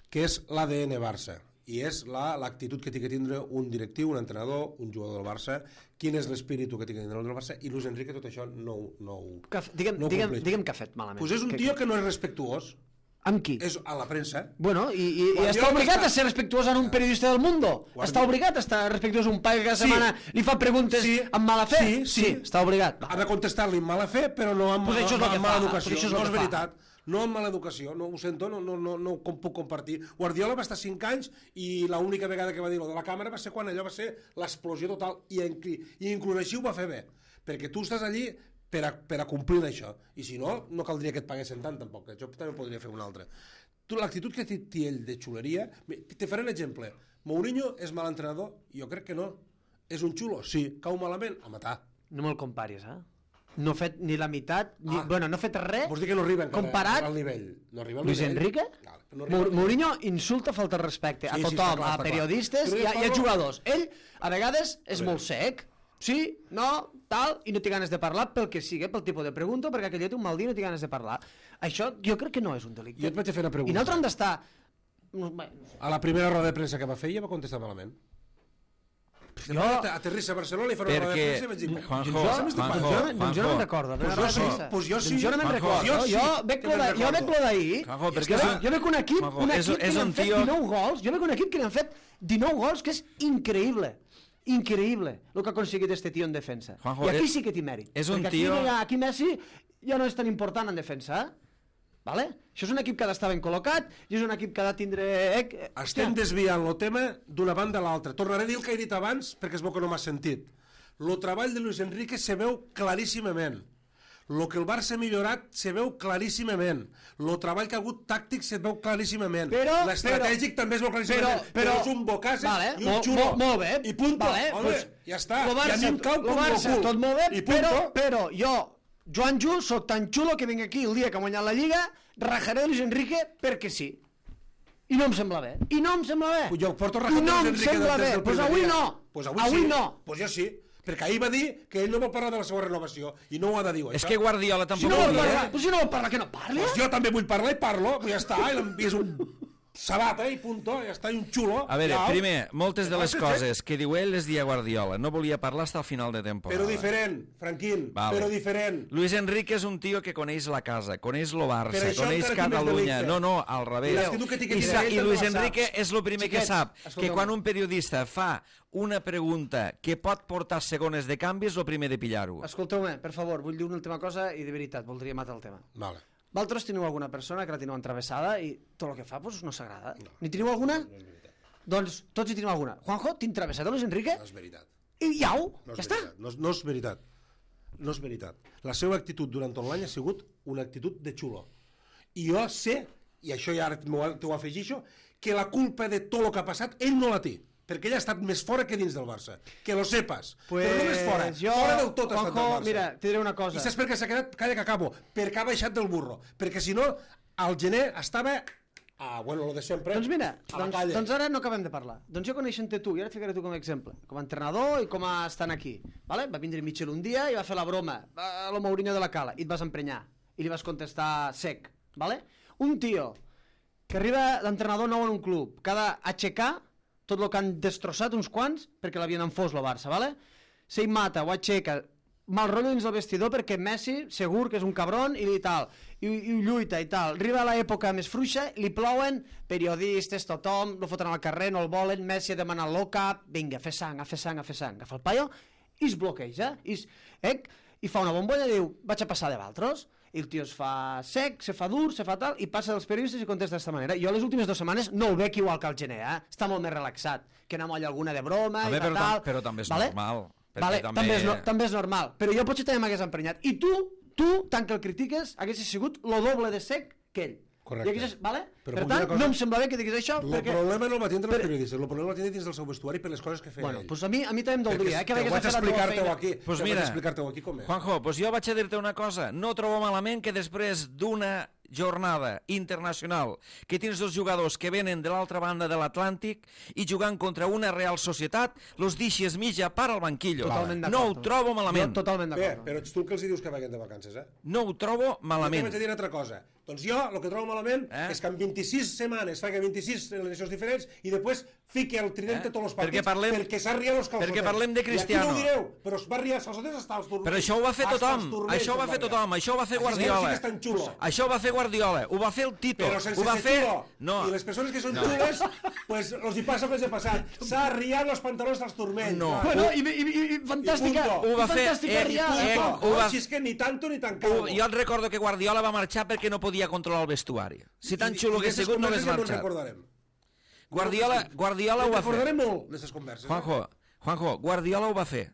que és l'ADN Barça, i és l'actitud que té que tindre un directiu, un entrenador, un jugador del Barça, quin és l'espírit que té que tindre el del Barça, i Luis Enrique tot això no ho Digue'm que ha fet malament. Pues és un tio que no és respectuós. Amb qui? És a la premsa. Bueno, i està obligat a ser respectuós en un periodista del Mundo. Està obligat a estar respectuós a un paio que cada setmana li fa preguntes amb mala fe. Sí, està obligat. Ha de contestar-li amb mala fe, però no amb mala educació. No és veritat. No amb mala educació, no ho sento, no puc compartir. Guardiola va estar 5 anys i l'única vegada que va dir-ho de la càmera va ser quan allò va ser l'explosió total, i inclús així ho va fer bé, perquè tu estàs allí per a complir això, i si no, no caldria que et paguessin tant tampoc, això també podria fer un altre. L'actitud que té ell de xuleria, te faré un exemple. Mourinho és mal entrenador? Jo crec que no. És un xulo? Sí. Cau malament? A matar. No me'l comparis, No ha fet ni la meitat, no ha fet res. Vols dir que no arriba encara comparat al nivell? No arriba al Luis nivell. Enrique? Mourinho insulta, falta de respecte a tothom, a periodistes i a jugadors. Ell, a vegades, és molt sec. Sí, no, tal, i no té ganes de parlar pel que sigui, pel tipus de pregunta, perquè aquell dia té un mal dia i no té ganes de parlar. Això jo crec que no és un delicte. Jo et vaig fer una pregunta. I nosaltres hem d'estar... A la primera roda de premsa que va fer ja va contestar malament. Aterrissa a Barcelona i fa una roda de premsa i vaig dir... Juanjo, jo no me'n recordo. Pues jo sí. Jo no me'n recordo. Jo veig lo d'ahir. Jo veig un equip que li han fet 19 gols. Jo veig un equip que li han fet 19 gols, que és increïble. Increïble el que ha aconseguit este tio en defensa. I aquí sí que té mèrit. Perquè aquí Messi ja no és tan important en defensa, Vale? Això és un equip que ha d'estar ben col·locat i és un equip que ha de tindre... Estem desviant el tema d'una banda a l'altra. Tornaré a dir el que he dit abans perquè es veu que no m'ha sentit. El treball de Luis Enrique se veu claríssimament. El que el Barça ha millorat se veu claríssimament. El treball que ha hagut tàctic se veu claríssimament. L'estratègic també es veu claríssimament. Però és un bocàs i un xulo. Molt bé. I punto. Ja està. I a mi em cau com el cul. Tot molt bé, però jo, Joan Ju, soc tan xulo que vinc aquí el dia que ha guanyat la Lliga, rajaré Luis Enrique perquè sí. I no em sembla bé. I no em sembla bé. Jo porto rajant Luis Enrique des del primer dia. Avui no. Avui no. Pues jo sí. Perquè ahir va dir que ell no vol parlar de la seva renovació i no ho ha de dir, això. És que Guardiola tampoc volia. Si no vol parlar, que no parli. Pues jo també vull parlar i parlo, ja està, és un sabata i punto, ja està, i un xulo. A veure, primer, moltes de les coses que diu ell les dia Guardiola, no volia parlar fins al final de temporada. Però diferent, Franquín, però diferent. Luis Enrique és un tio que coneix la casa, coneix lo Barça, coneix Catalunya. No, al revés. I Luis Enrique és el primer que sap que quan un periodista fa una pregunta que pot portar segones de canvi és el primer de pillar-ho. Escolteu-me, per favor, vull dir una última cosa i de veritat, voldria matar el tema. Vale. Vosaltres teniu alguna persona que la teniu entravessada i tot el que fa no s'agrada? Ni teniu alguna? No és veritat. Doncs tots hi teniu alguna. Juanjo, t'he entravessat a Luis Enrique? No és veritat. I iau, No ja és està. veritat. No és veritat. No és veritat. La seva actitud durant tot l'any ha sigut una actitud de xulo. I jo sé, i això ja t'ho afegixo, que la culpa de tot el que ha passat ell no la té. Perquè ell ha estat més fora que dins del Barça. Que lo sepas. Pues però no més fora. Fora del tot ha estat del Juanjo, Barça. mira, t'hi diré una cosa. I saps per què s'ha quedat? Calla que acabo. Perquè ha baixat del burro. Perquè si no, al gener estava... bueno, lo de sempre. Doncs mira, a la calle. doncs ara no acabem de parlar. Doncs jo coneixent-te tu, i ara et ficaré tu com a exemple, com a entrenador i com a estant aquí. Vale? Va vindre Michel un dia i va fer la broma a lo Mourinho de la Cala i et vas emprenyar i li vas contestar sec. Vale? Un tio que arriba d'entrenador nou en un club, que ha d'aixecar tot el que han destrossat uns quants perquè l'havien enfós el Barça, vale? Se mata, ho aixeca, mal rotllo dins del vestidor perquè Messi segur que és un cabron i tal, i lluita i tal. Arriba a l'època més fluixa, li plouen periodistes, tothom, lo foten al carrer, no el volen, Messi ha demanat l'O cap, vinga, a fer sang, a fer sang, a fer sang. Agafa el paio i es bloqueja, i fa una bombolla i diu, vaig a passar de valtros. I el tio es fa sec, se fa dur, se fa tal, i passa dels periodistes i contesta d'aquesta manera. Jo les últimes 2 setmanes no el veig igual que al gener, està molt més relaxat, que una molla alguna de broma i tal. Però també és vale? normal. Vale, també és normal, però jo potser també m'hagués emprenyat. I tu, tant que el critiques, haguessis sigut lo doble de sec que ell. Correcte. Vale? Però per puc dir tant, una cosa? no em sembla bé que diguis això. El problema no el va tindre els periodistes, el problema el va tindre dins del seu vestuari per les coses que feia Bueno, ell. pues a mi també em doldria, que Vaig hagués de fer la teva explicar-te-ho feina. aquí. Pues Vaig mira, explicar-te-ho aquí com és. Juanjo, pues jo vaig a dir-te una cosa. No trobo malament que després d'una jornada internacional que tens dos jugadors que venen de l'altra banda de l'Atlàntic i jugant contra una Real Societat, los deixes mitja part al banquillo. Totalment No d'acord. ho trobo malament. Jo totalment Bé, d'acord. però ets tu el que els dius que vagin de vacances, eh? No ho trobo Jo malament. vaig a dir una altra cosa. Doncs jo el que trobo malament és que en 26 setmanes faci 26 eleccions diferents i després fiqui el tridente tots els partits perquè s'ha riat els calçotets. Perquè parlem de Cristiano. I aquí no ho direu, però es va riar els calçotets hasta els turmells. Però això ho va fer tothom, això ho va fer tothom, això ho va fer Guardiola. Sí que estan xulo. Això ho va fer Guardiola, ho va fer el Tito, Però sense ho va ser fer... xulo. No. I les persones que són xules, pues els hi passa el que els ha passat. S'ha riat els pantalons dels turmells. No. Bueno, i fantàstica. Ho va fer... Fantàstica riada. ho va- Si és que ni tanto ni tan calvo. Jo et recordo que Guardiola va marxar perquè no podia controlar el vestuari. Si tan xulo hagués sigut, no hagués marxat. Guardiola ho va fer. Recordarem molt d'aquestes converses. Juanjo, Guardiola ho va fer.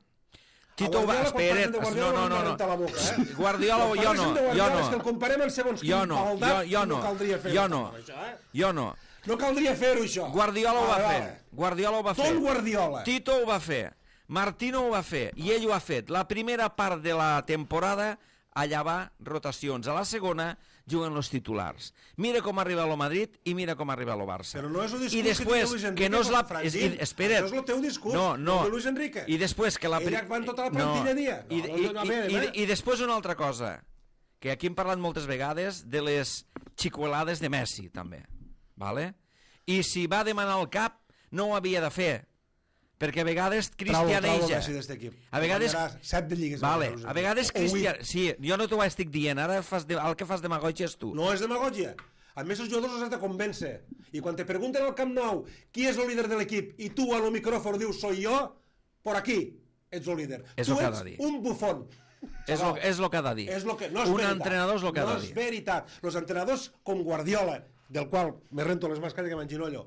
Tito ho va... Guardiola, Espera't, quan parlem de Guardiola, no. rentar la boca, eh? Guardiola, Quan jo no, parlem de jo Guardiola, és que el no. comparem amb segons quin Jo no, baldat, jo no, no caldria fer-ho. jo no, Això, eh? jo no. No caldria fer-ho, això. Guardiola ho va Vale, fer. vale. Guardiola ho va fer. Tot Guardiola. Tito ho va fer. Martino ho va fer. I ell ho ha fet. La primera part de la temporada allà va rotacions. A la segona juguen els titulars. Mira com arriba el Madrid i mira com arriba el Barça. Però no és el discurs I després, que té Luis Enrique, que no és la... Franquín. Espera't. Això és el teu discurs, no, el de Luis Enrique. I després que la... Ella van tota la plantilla dia. I després una altra cosa, que aquí hem parlat moltes vegades de les xicuelades de Messi, també. Vale? I si va demanar el cap, no ho havia de fer. Perquè a vegades cristianeja. A vegades... 7 de lligues. Vale, a vegades cristianeja. Sí, jo no t'ho estic dient, ara el que fas demagògia és tu. No és demagògia. A més, els jugadors els has de convèncer. I quan te pregunten al Camp Nou qui és el líder de l'equip i tu a lo micròfon dius soy jo, por aquí ets el líder. És tu el que ha ets de dir. un bufón. És el que ha de dir. És lo que, no és un veritat. entrenador és el que ha de dir. No és veritat. Els entrenadors com Guardiola, del qual me rento les mans que m'enginollo,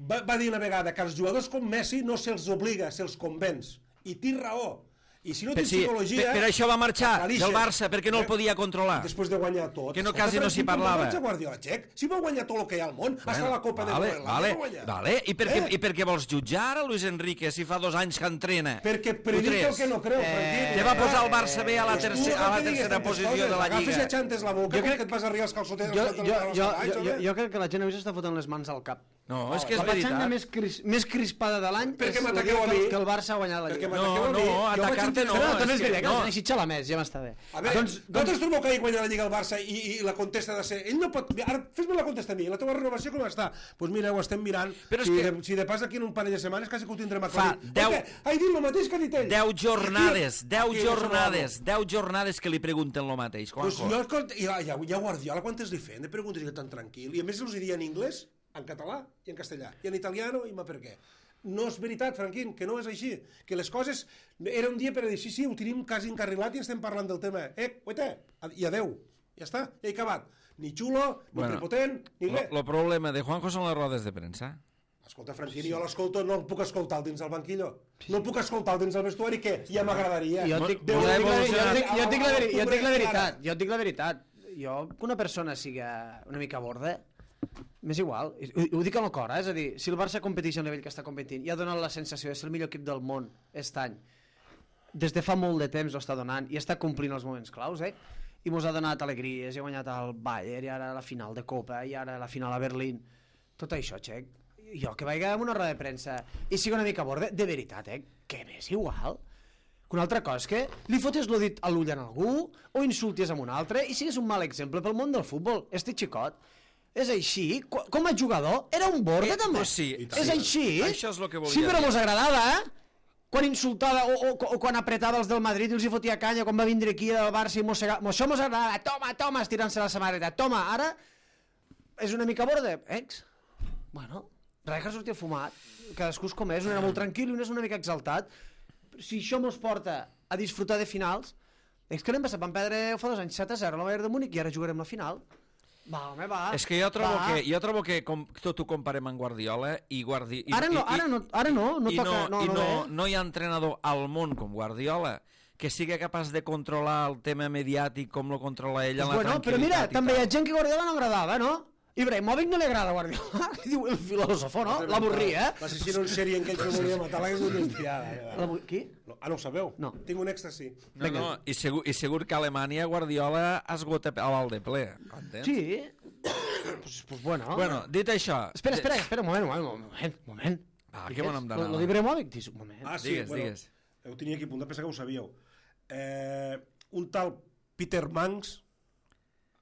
va dir una vegada que els jugadors com Messi no se'ls obliga, se'ls convenç. I té raó. I si no tens psicologia... Per això va marxar Galícia, del Barça, perquè no el podia controlar. Després de guanyar tot. Que no, quasi no s'hi parlava. Guardiola, Txec, si va guanyar tot el que hi ha al món, hasta la Copa de Groenlàndia. Vale. I per què vols jutjar a Luis Enrique si fa 2 anys que entrena? Perquè predica el que no creu, Franquín. Te va posar el Barça B a la tercera posició de la Lliga. Agafes i aixantes la boca perquè et vas arribar als calçotets. Jo crec que la gent avui s'està fotent les mans al cap. No, és que és la xanga veritat. més crispada de l'any és que el Barça ha guanyat la Lliga. No, atacar-te no. No és veritat, que no així xalamès, ja m'està bé. A veure, nosaltres trobeu que ahir guanyar la Lliga al Barça i la contesta de ser... Ell no pot... Ara, fes-me la contesta a mi, la teva renovació com està? Doncs mira, ho estem mirant. Si de pas aquí en un parell de setmanes quasi que ho tindrem aclarit. He dit el mateix que ha dit ell. 10 jornades que li pregunten el mateix, Juanjo. I a Guardiola quantes li feien? De preguntes i tan tranquil. I a més els diria en anglès, en català i en castellà. I en italiano, i ma per què? No és veritat, Franquín, que no és així. Que les coses... Era un dia per dir, sí, ho tenim quasi encarrilat i estem parlant del tema. Guaita, i adeu. Ja està, ja he acabat. Ni xulo, ni prepotent, ni res. El problema de Juanjo són les rodes de premsa. Escolta, Franquini, jo l'escolto, no el puc escoltar dins el banquillo. No el puc escoltar dins el vestuari, que ja m'agradaria. Jo et dic la veritat. Jo et dic la veritat. Jo, que una persona sigui una mica borda, m'és igual. Ho dic amb el cor, és a dir, si el Barça competeix al nivell que està competint i ha donat la sensació de ser el millor equip del món aquest any, des de fa molt de temps ho està donant i està complint els moments claus, i mos ha donat alegries, i ha guanyat el Bayern, i ara la final de Copa, i ara la final a Berlín. Tot això, Xec, jo que vaig amb una roda de premsa i sigui una mica borde, de veritat, que m'és igual. Una altra cosa és que li fotes lo dit a l'ull en algú o insultis amb un altre i sigues un mal exemple pel món del futbol. Este xicot és així, com a jugador era un borde també. Sí, és així. Això és el que volia sí, però dir. mos agradava, quan insultava o quan apretava els del Madrid i els hi fotia canya, quan va vindre aquí del Barça i això mos agradava, toma, estirant-se la samarreta, toma, ara és una mica borde, bueno, res que sortia fumat, cadascú és com és, un era molt tranquil i un és una mica exaltat. Si això mos porta a disfrutar de finals, és que l'hem passat, vam perdre fa 2 anys 7-0 a la Bayern de Múnich i ara jugarem la final. Va, home, va. És que jo trobo que tot ho comparem amb Guardiola i Ara no toca. No hi ha entrenador al món com Guardiola que sigui capaç de controlar el tema mediàtic com lo controla ell en la tranquil·litat. Però mira, també hi ha gent que Guardiola no agradava, no? Ibrahimovic no li agrada Guardiola, diu el filòsofo, no? L'avorria, L'assassino en sèrie en què ell volia matar l'hagués d'una espiada. Qui? No ho sabeu? No. Tinc un èxtasi. No, i segur que a Alemanya Guardiola esgota a l'alt de ple, entens? Sí. Pues bueno. Bueno, dit això... Espera, un moment. Què bon hem d'anar? Lo d'Ibrahimovic, un moment. Sí, digues. Ho tenia aquí a punt, pensava que ho sabíeu. Un tal Peter Mangs,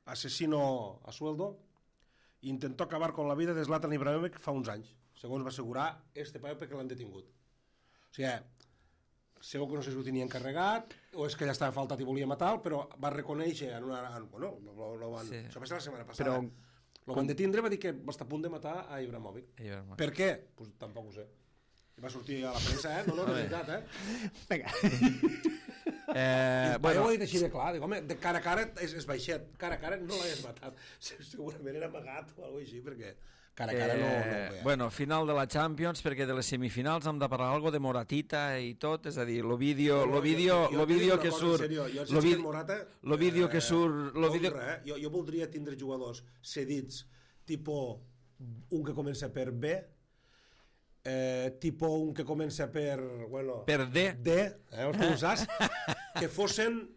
asesino a sueldo, intentó acabar con la vida de Zlatan Ibrahimovic fa uns anys, segons va assegurar este paio perquè l'han detingut. O sigui, segur que no sé si ho tenia encarregat o és que ja estava faltat i volia matar, però va reconèixer en una... Bueno, sí. Això va ser la setmana passada. Lo van detindre, va dir que va estar a punt de matar a Ibrahimovic. Per què? Pues tampoc ho sé. Va sortir a la premsa, No, de veritat, Vinga. Bueno, ho ha dit així de clar, dic, home, de cara a cara és baixet, cara a cara no l'hagués matat, segurament era amagat o alguna cosa així, perquè cara a cara no ho veia. Bueno, final de la Champions, perquè de les semifinals hem de parlar algo de Moratita i tot, és a dir, lo vídeo que surt... Lo vídeo que surt... Jo voldria tindre jugadors cedits, tipus un que comença per B, tipo un que comença per D, els que usàs, que fossin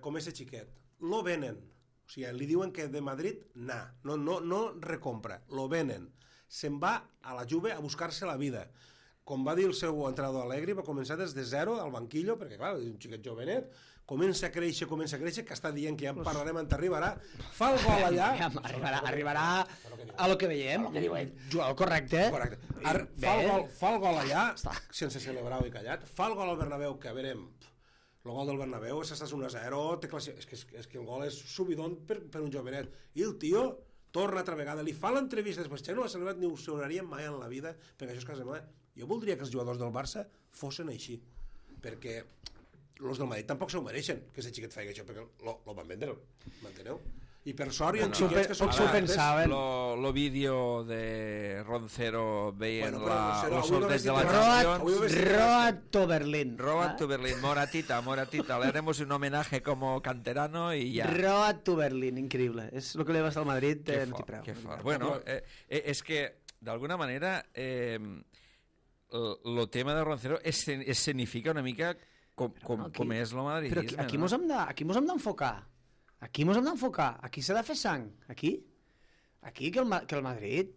com ese xiquet. Lo venen, o sigui, li diuen que de Madrid no recompra, lo venen, se'n va a la Juve a buscar-se la vida. Com va dir el seu entrenador Allegri, va començar des de zero al banquillo, perquè clar, és un xiquet jovenet, comença a créixer, que està dient que ja en parlarem on t'arribarà, fa el gol allà... Arribarà a lo que veiem, jugador correcte. Fa el gol allà, sense celebrar-ho i callat, fa el gol al Bernabéu, que a veure, el gol del Bernabéu, si estàs 1-0, és que el gol és subidon per un jovenet, i el tio torna altra vegada, li fa l'entrevista, després no l'ha celebrat ni ho celebraríem mai en la vida, perquè això és casa meva. Jo voldria que els jugadors del Barça fossin així, perquè els del Madrid tampoc s'ho mereixen, que aquest xiquet faci això, perquè lo van vendre, m'enteneu? I per sort hi ha xiquets que són pensaven. Lo vídeo de Roncero veient el sorteig de la Champions. Road to Berlín. Road to Berlín, Moratita, le haremos un homenaje como canterano y ya. Road to Berlín, increíble. És el que li va al Madrid. Que fort. Bueno, és que d'alguna manera el tema de Roncero escenifica una mica com és el madridisme. Però aquí mos hem d'enfocar. Aquí s'ha de fer sang. Aquí que el Madrid...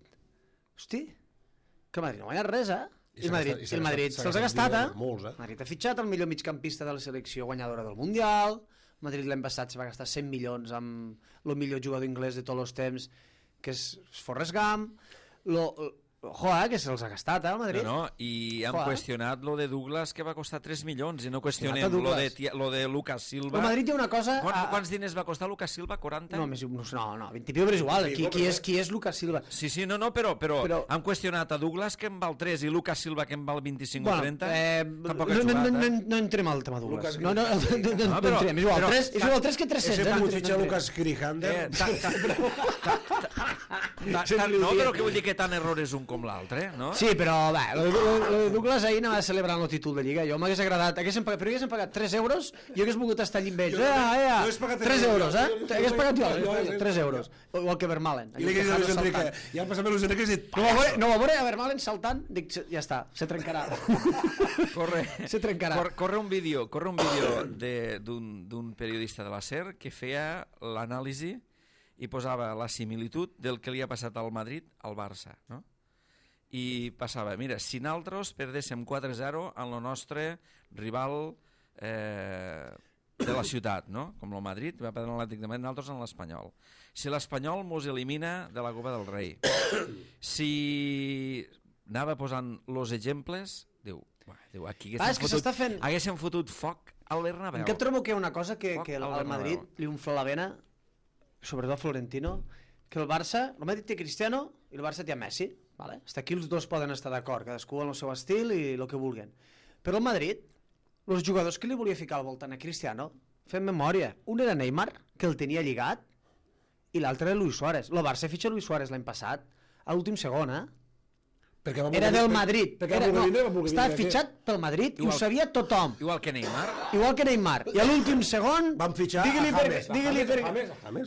Hosti, que el Madrid no guanya res, El Madrid se'ls ha gastat, El Madrid ha fitxat el millor migcampista de la selecció guanyadora del Mundial. El Madrid l'any passat se va gastar 100 milions amb el millor jugador anglès de tots els temps, que és Forrest Gump. Ojo, que se'ls ha gastat, el Madrid. No, i han qüestionat lo de Douglas, que va costar 3 milions, i no qüestionem lo de Lucas Silva. El Madrid té una cosa... Quants diners va costar Lucas Silva? 40? No, 20 i pico, però és igual. Qui és Lucas Silva? Sí, no, però han qüestionat a Douglas, que en val 3, i Lucas Silva, que en val 25 o 30. Tampoc ha jugat, no entrem al tema Douglas. No entrem, és igual 3 que 300. Ese pogut fitxar Lucas Grihander. No, però que vull dir que tant error és un com l'altre, no? Sí, però va, el Douglas ahir anava celebrant el títol de Lliga. Jo m'hagués agradat, però haguéssim pagat 3 euros i jo hagués volgut estar allà amb ells. 3 euros, hagués pagat jo 3 euros. Igual que Vermaelen. I li hagués dit a Luis Enrique, i al passar Luis Enrique has dit... No va veure a Vermaelen saltant, dic, ja està, se trencarà. Se trencarà. Corre un vídeo d'un periodista de la SER que feia l'anàlisi i posava la similitud del que li ha passat al Madrid al Barça, no? I passava, mira, si nosaltres perdéssim 4-0 en el nostre rival de la ciutat, no? Com el Madrid, va perdre l'Atlètic de Madrid, nosaltres en l'Espanyol. Si l'Espanyol mos elimina de la Copa del Rei, si anava posant los exemples, diu aquí haguéssim fotut foc al Bernabéu. Que trobo que una cosa que al Madrid li unfla la vena, sobretot a Florentino, que el Madrid té Cristiano i el Barça té Messi, vale? Hasta aquí els dos poden estar d'acord, cadascú en el seu estil i el que vulguin. Però el Madrid, els jugadors que li volia ficar al voltant a Cristiano, fem memòria, un era Neymar, que el tenia lligat, i l'altre era Luis Suárez. El Barça fitxa Luis Suárez l'any passat, a l'últim segon, era del Madrid, estava fitxat pel Madrid i ho sabia tothom, igual que Neymar, i a l'últim segon van fitxar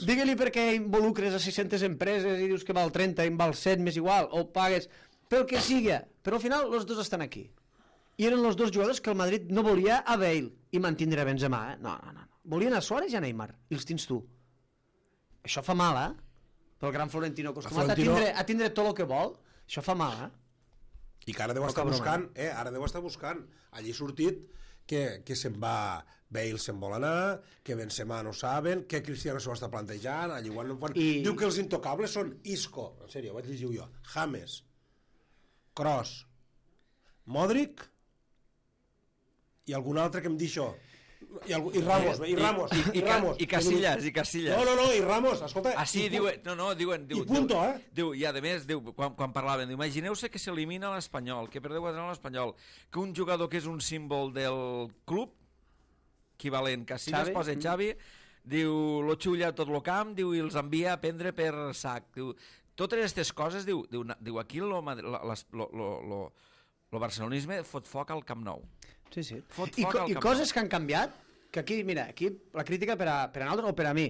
digue-li perquè involucres a 600 empreses i dius que val 30 i en val 7, més igual, o pagues pel que sigui, però al final els dos estan aquí i eren els dos jugadors que el Madrid no volia a Bale i mantindre Benzema, no, volien a Suárez i a Neymar i els tens tu. Això fa mal, pel gran Florentino acostumat a tindre tot el que vol, això fa mal, i que ara deu estar buscant, allí sortit que se'n va, Bale se'n vol anar, que Benzema no saben, que Cristiano s'ho està plantejant, allí igual no fan... Diu que els intocables són Isco, en sèrio, vaig llegir jo, James, Kroos, Modric i algun altre que em diu això, i Ramos, i Casillas, no, i Ramos, escolta, diuen, i punto, i a més, quan parlaven, imagineu-se que s'elimina l'Espanyol, que perdeu a l'Espanyol, que un jugador que és un símbol del club, equivalent, Casillas, posa Xavi, diu, lo xulla tot el camp, diu, i els envia a prendre per sac, diu, totes aquestes coses, diu, aquí lo barcelonisme fot foc al Camp Nou. Sí. I coses que han canviat, que aquí, mira, aquí la crítica per a nosaltres o per a mi.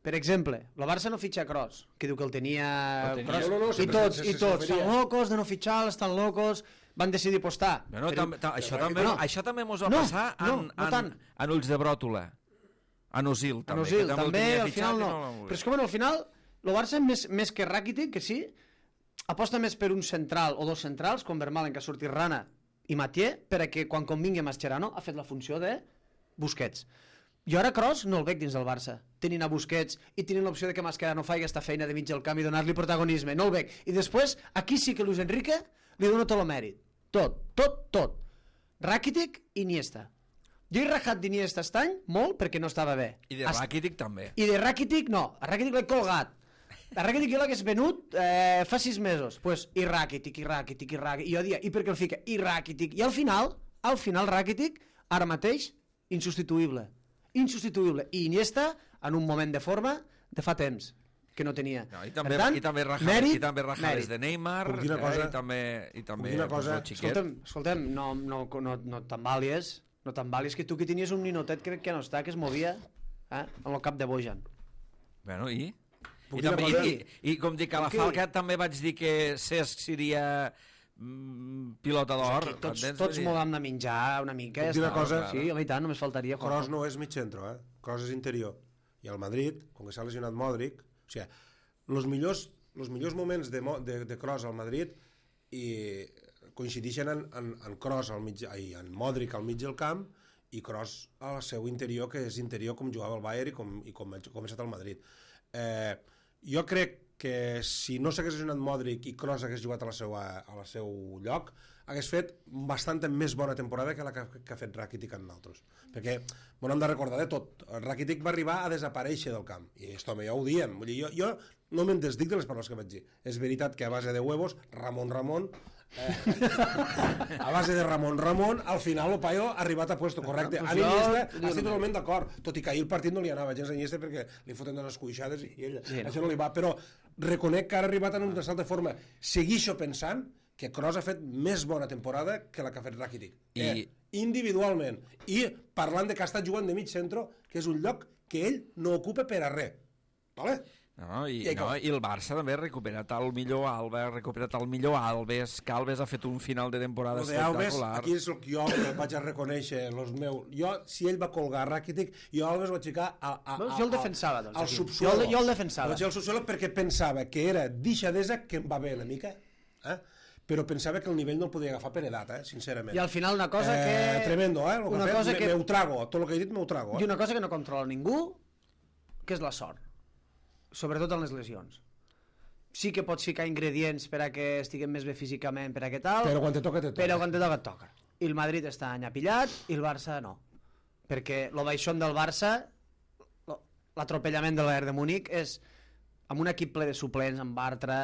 Per exemple, el Barça no fitxa Kroos, que diu que el tenia Kroos, i tots, estan locos de no fitxar, estan locos, van decidir apostar. Això també mos va passar en Ulls de Bròtola, en Osil també al final no. Però és com al final, el Barça més que Rakitic, que sí, aposta més per un central o dos centrals, com Vermaelen, que ha sortit Rana, i Mathieu, perquè quan convingui Mascherano ha fet la funció de Busquets. Jo ara Kroos no el veig dins del Barça, tenint a Busquets i tenint l'opció de que Mascherano faci aquesta feina de mig del camp i donar-li protagonisme, no el veig. I després, aquí sí que Luis Enrique li dona tot el mèrit, tot. Rakitic i Iniesta. Jo he rajat d'Iniesta aquest any molt perquè no estava bé. I de Rakitic també. I de Rakitic no, a Rakitic l'he colgat. A Rakitic jo l'hagués venut fa 6 mesos. Pues, i Rakitic. I jo dia, i per què el fica? I Rakitic. I al final Rakitic, ara mateix, insubstituïble. I Iniesta, en un moment de forma, de fa temps, que no tenia. No, i també rajades de Neymar, i també escoltem, no t'embàlies, que tu que tenies un ninotet que no està, que es movia en el cap de Bojan. Bueno, I com dic, a la Falca també vaig dir que Cesc seria pilota d'or. Tots molam de menjar una mica. Sí, i tant, només faltaria. Kroos no és mig centro, Kroos és interior. I al Madrid, com que s'ha lesionat Modric, o sigui, els millors moments de Kroos al Madrid coincideixen en Kroos en Modric al mig del camp i Kroos al seu interior, que és interior com jugava al Bayern i com ha estat al Madrid. Jo crec que si no s'hagués lesionat Modric i Kroos hagués jugat a la seu lloc, hagués fet bastant més bona temporada que la que ha fet Rakitic amb nosaltres. Perquè, hem de recordar de tot, Rakitic va arribar a desaparèixer del camp, i esto ja ho diem. Vull dir, jo no me'n desdic de les paraules que vaig dir. És veritat que a base de huevos, Ramon, a base de Ramon, al final el paio ha arribat a puesto correcte. A Iniesta estic totalment d'acord, tot i que ahir el partit no li anava gens a Iniesta perquè li foten de les cuixades i ell, això no li va, però reconec que ha arribat en una altra forma. Seguixo pensant que Kroos ha fet més bona temporada que la que ha fet Rakitic. Individualment. I parlant de que ha estat jugant de mig centre, que és un lloc que ell no ocupa per a res. Vale? I el Barça també ha recuperat el millor Alba, ha recuperat el millor Alves, que Alves ha fet un final de temporada espectacular. Alves, aquí és el que jo vaig a reconèixer els meus... si ell va colgar Rakitic, jo Alves vaig ficar jo el defensava, doncs, al subsuelo. Jo el defensava. Vaig al subsuelo perquè pensava que era deixadesa, que em va bé una mica, però pensava que el nivell no el podia agafar per edat, sincerament. I al final una cosa que... Tremendo, una cosa que... M'ho trago, tot el que he dit m'ho trago. I una cosa que no controla ningú, que és la sort. Sobretot en les lesions. Sí que pots ficar ingredients per a que estiguem més bé físicament, per a que tal... Però quan te toca, te toca. Però quan te toca, et toca. I el Madrid està anyapillat i el Barça no. Perquè el baixón del Barça, l'atropellament de l'Bayern de Múnich, és amb un equip ple de suplents, amb Bartra,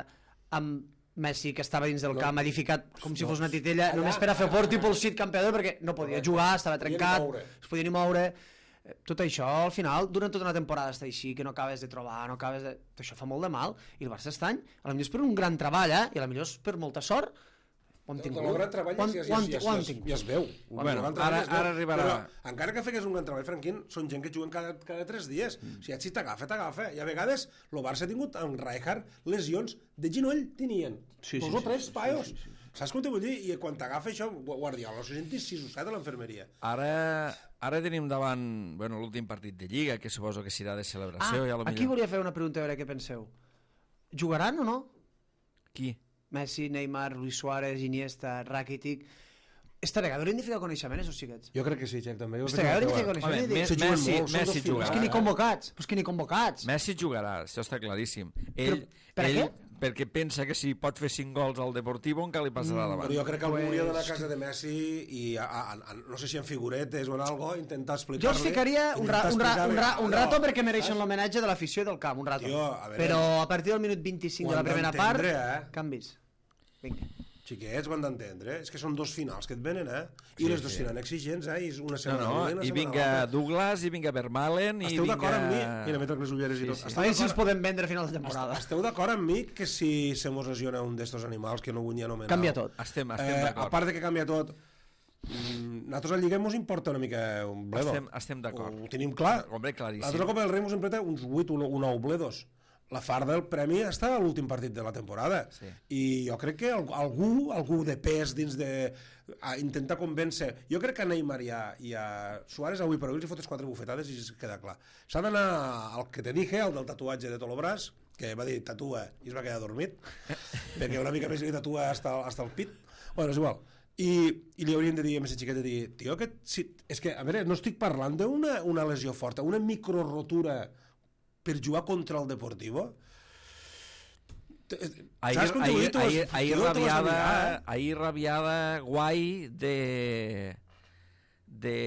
amb Messi, que estava dins del camp, edificat com si fos una titella, només per a fer por tipus el Cid campeador, perquè no podia jugar, estava trencat, es podia ni moure... Tot això, al final, durant tota una temporada està així, que no acabes de trobar, això fa molt de mal, i el Barça estany, potser és per un gran treball, i potser és per molta sort, ho hem tingut. El gran treball ja es veu. Ara arribarà... Però encara que fegués un gran treball, Franquín, són gent que juguen cada 3 dies. Si t'agafa. I a vegades el Barça ha tingut amb Rijkaard lesions de genoll, tenien 2 o 3 paios. Saps com t'ho vull dir? I quan t'agafa això, Guardiola, se sentis 6 o 7 a l'enfermeria. Ara tenim davant l'últim partit de Lliga, que suposo que serà de celebració. Aquí volia fer una pregunta, a veure què penseu. Jugaran o no? Qui? Messi, Neymar, Luis Suárez, Iniesta, Rakitic... Esta vegada haurien de ficar coneixement, esos xiquets. Jo crec que sí, Jack, també. Esta vegada haurien de ficar coneixement. Messi jugarà. És que ni convocats. Messi jugarà, això està claríssim. Per què? Perquè pensa que si pot fer 5 gols al Deportivo encara li passarà davant. Però jo crec que algú hauria d'anar a casa de Messi i no sé si en figuretes o en algo, intentar explicar-li. Jo els ficaria un rato perquè mereixen l'homenatge de l'afició del camp, un rato. Però a partir del minut 25 de la primera part, canvis. Vinga. Xiquets, ho han d'entendre, és que són 2 finals que et venen, i les 2 seran exigents, i és una setmana. I vinga Douglas, i vinga Vermaelen, i vinga... Esteu d'acord amb mi? Mira, m'he tret les ulleres i tot. A veure si els podem vendre a final de temporada. Esteu d'acord amb mi que si se mos lesiona un d'estos animals que no vull ni anomenar... Canvia tot. Estem d'acord. A part de que canvia tot, nosaltres a Lliga mos importa una mica un bledo. Estem d'acord. Ho tenim clar. Hombre, claríssim. Nosaltres a Copa del Rei mos importa uns 8 o 9 bledos. La farda del premi està a l'últim partit de la temporada, i jo crec que algú de pes dins de intentar convèncer, jo crec que a Neymar i a Suárez avui per avui els fotes 4 bufetades i es queda clar. S'ha d'anar al que te dije, el del tatuatge de Tolobràs, que va dir tatua i es va quedar dormit, perquè una mica més li tatua hasta el pit. Bueno, és igual. I li haurien de dir a aquest xiquet, tio, és que, a veure, no estic parlant d'una lesió forta, una microrotura per jugar contra el Deportivo. Ahir rabiada guai de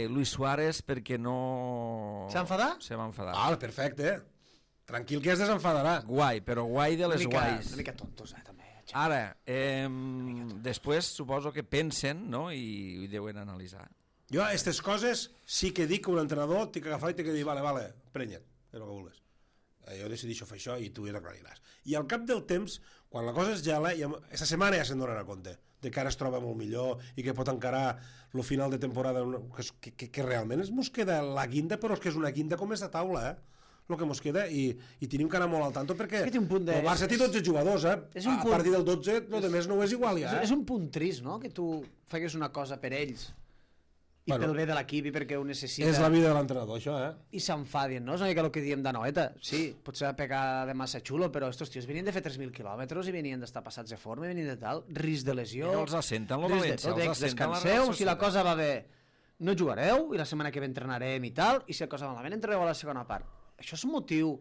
Luis Suárez perquè no... S'ha enfadat? Se va enfadar. Perfecte. Tranquil que es desenfadarà. Guai, però guai de les guais. Una mica tontos, també. Ara, després suposo que pensen, no?, i ho deuen analitzar. Jo a aquestes coses sí que dic que un entrenador té que agafar i té que dir vale, prenya't, és el que vulguis. Jo decideixo fer això i tu ja t'aclariràs. I al cap del temps, quan la cosa es gela, aquesta setmana ja se'n donarà compte de que ara es troba molt millor i que pot encarar el final de temporada que realment mos queda la guinda, però és que és una guinda com és de taula, el que mos queda, i tenim que anar molt al tanto perquè el Barça té 12 jugadors, a partir del 12 el de més no ho és igual ja. És un punt trist, no?, que tu facis una cosa per ells i pel bé de l'equip i perquè ho necessita. És la vida de l'entrenador, això, I s'enfadien, no? És una mica el que diem de Noeta. Sí, potser pegar de massa xulo, però estos tios venien de fer 3.000 quilòmetres i venien d'estar passats de forma, venien de tal, risc de lesió... I no els assenten, el València, els assenten la Real Societat. Si la cosa va bé, no jugareu, i la setmana que ve entrenarem i tal, i si la cosa va malament, entrareu a la segona part. Això és un motiu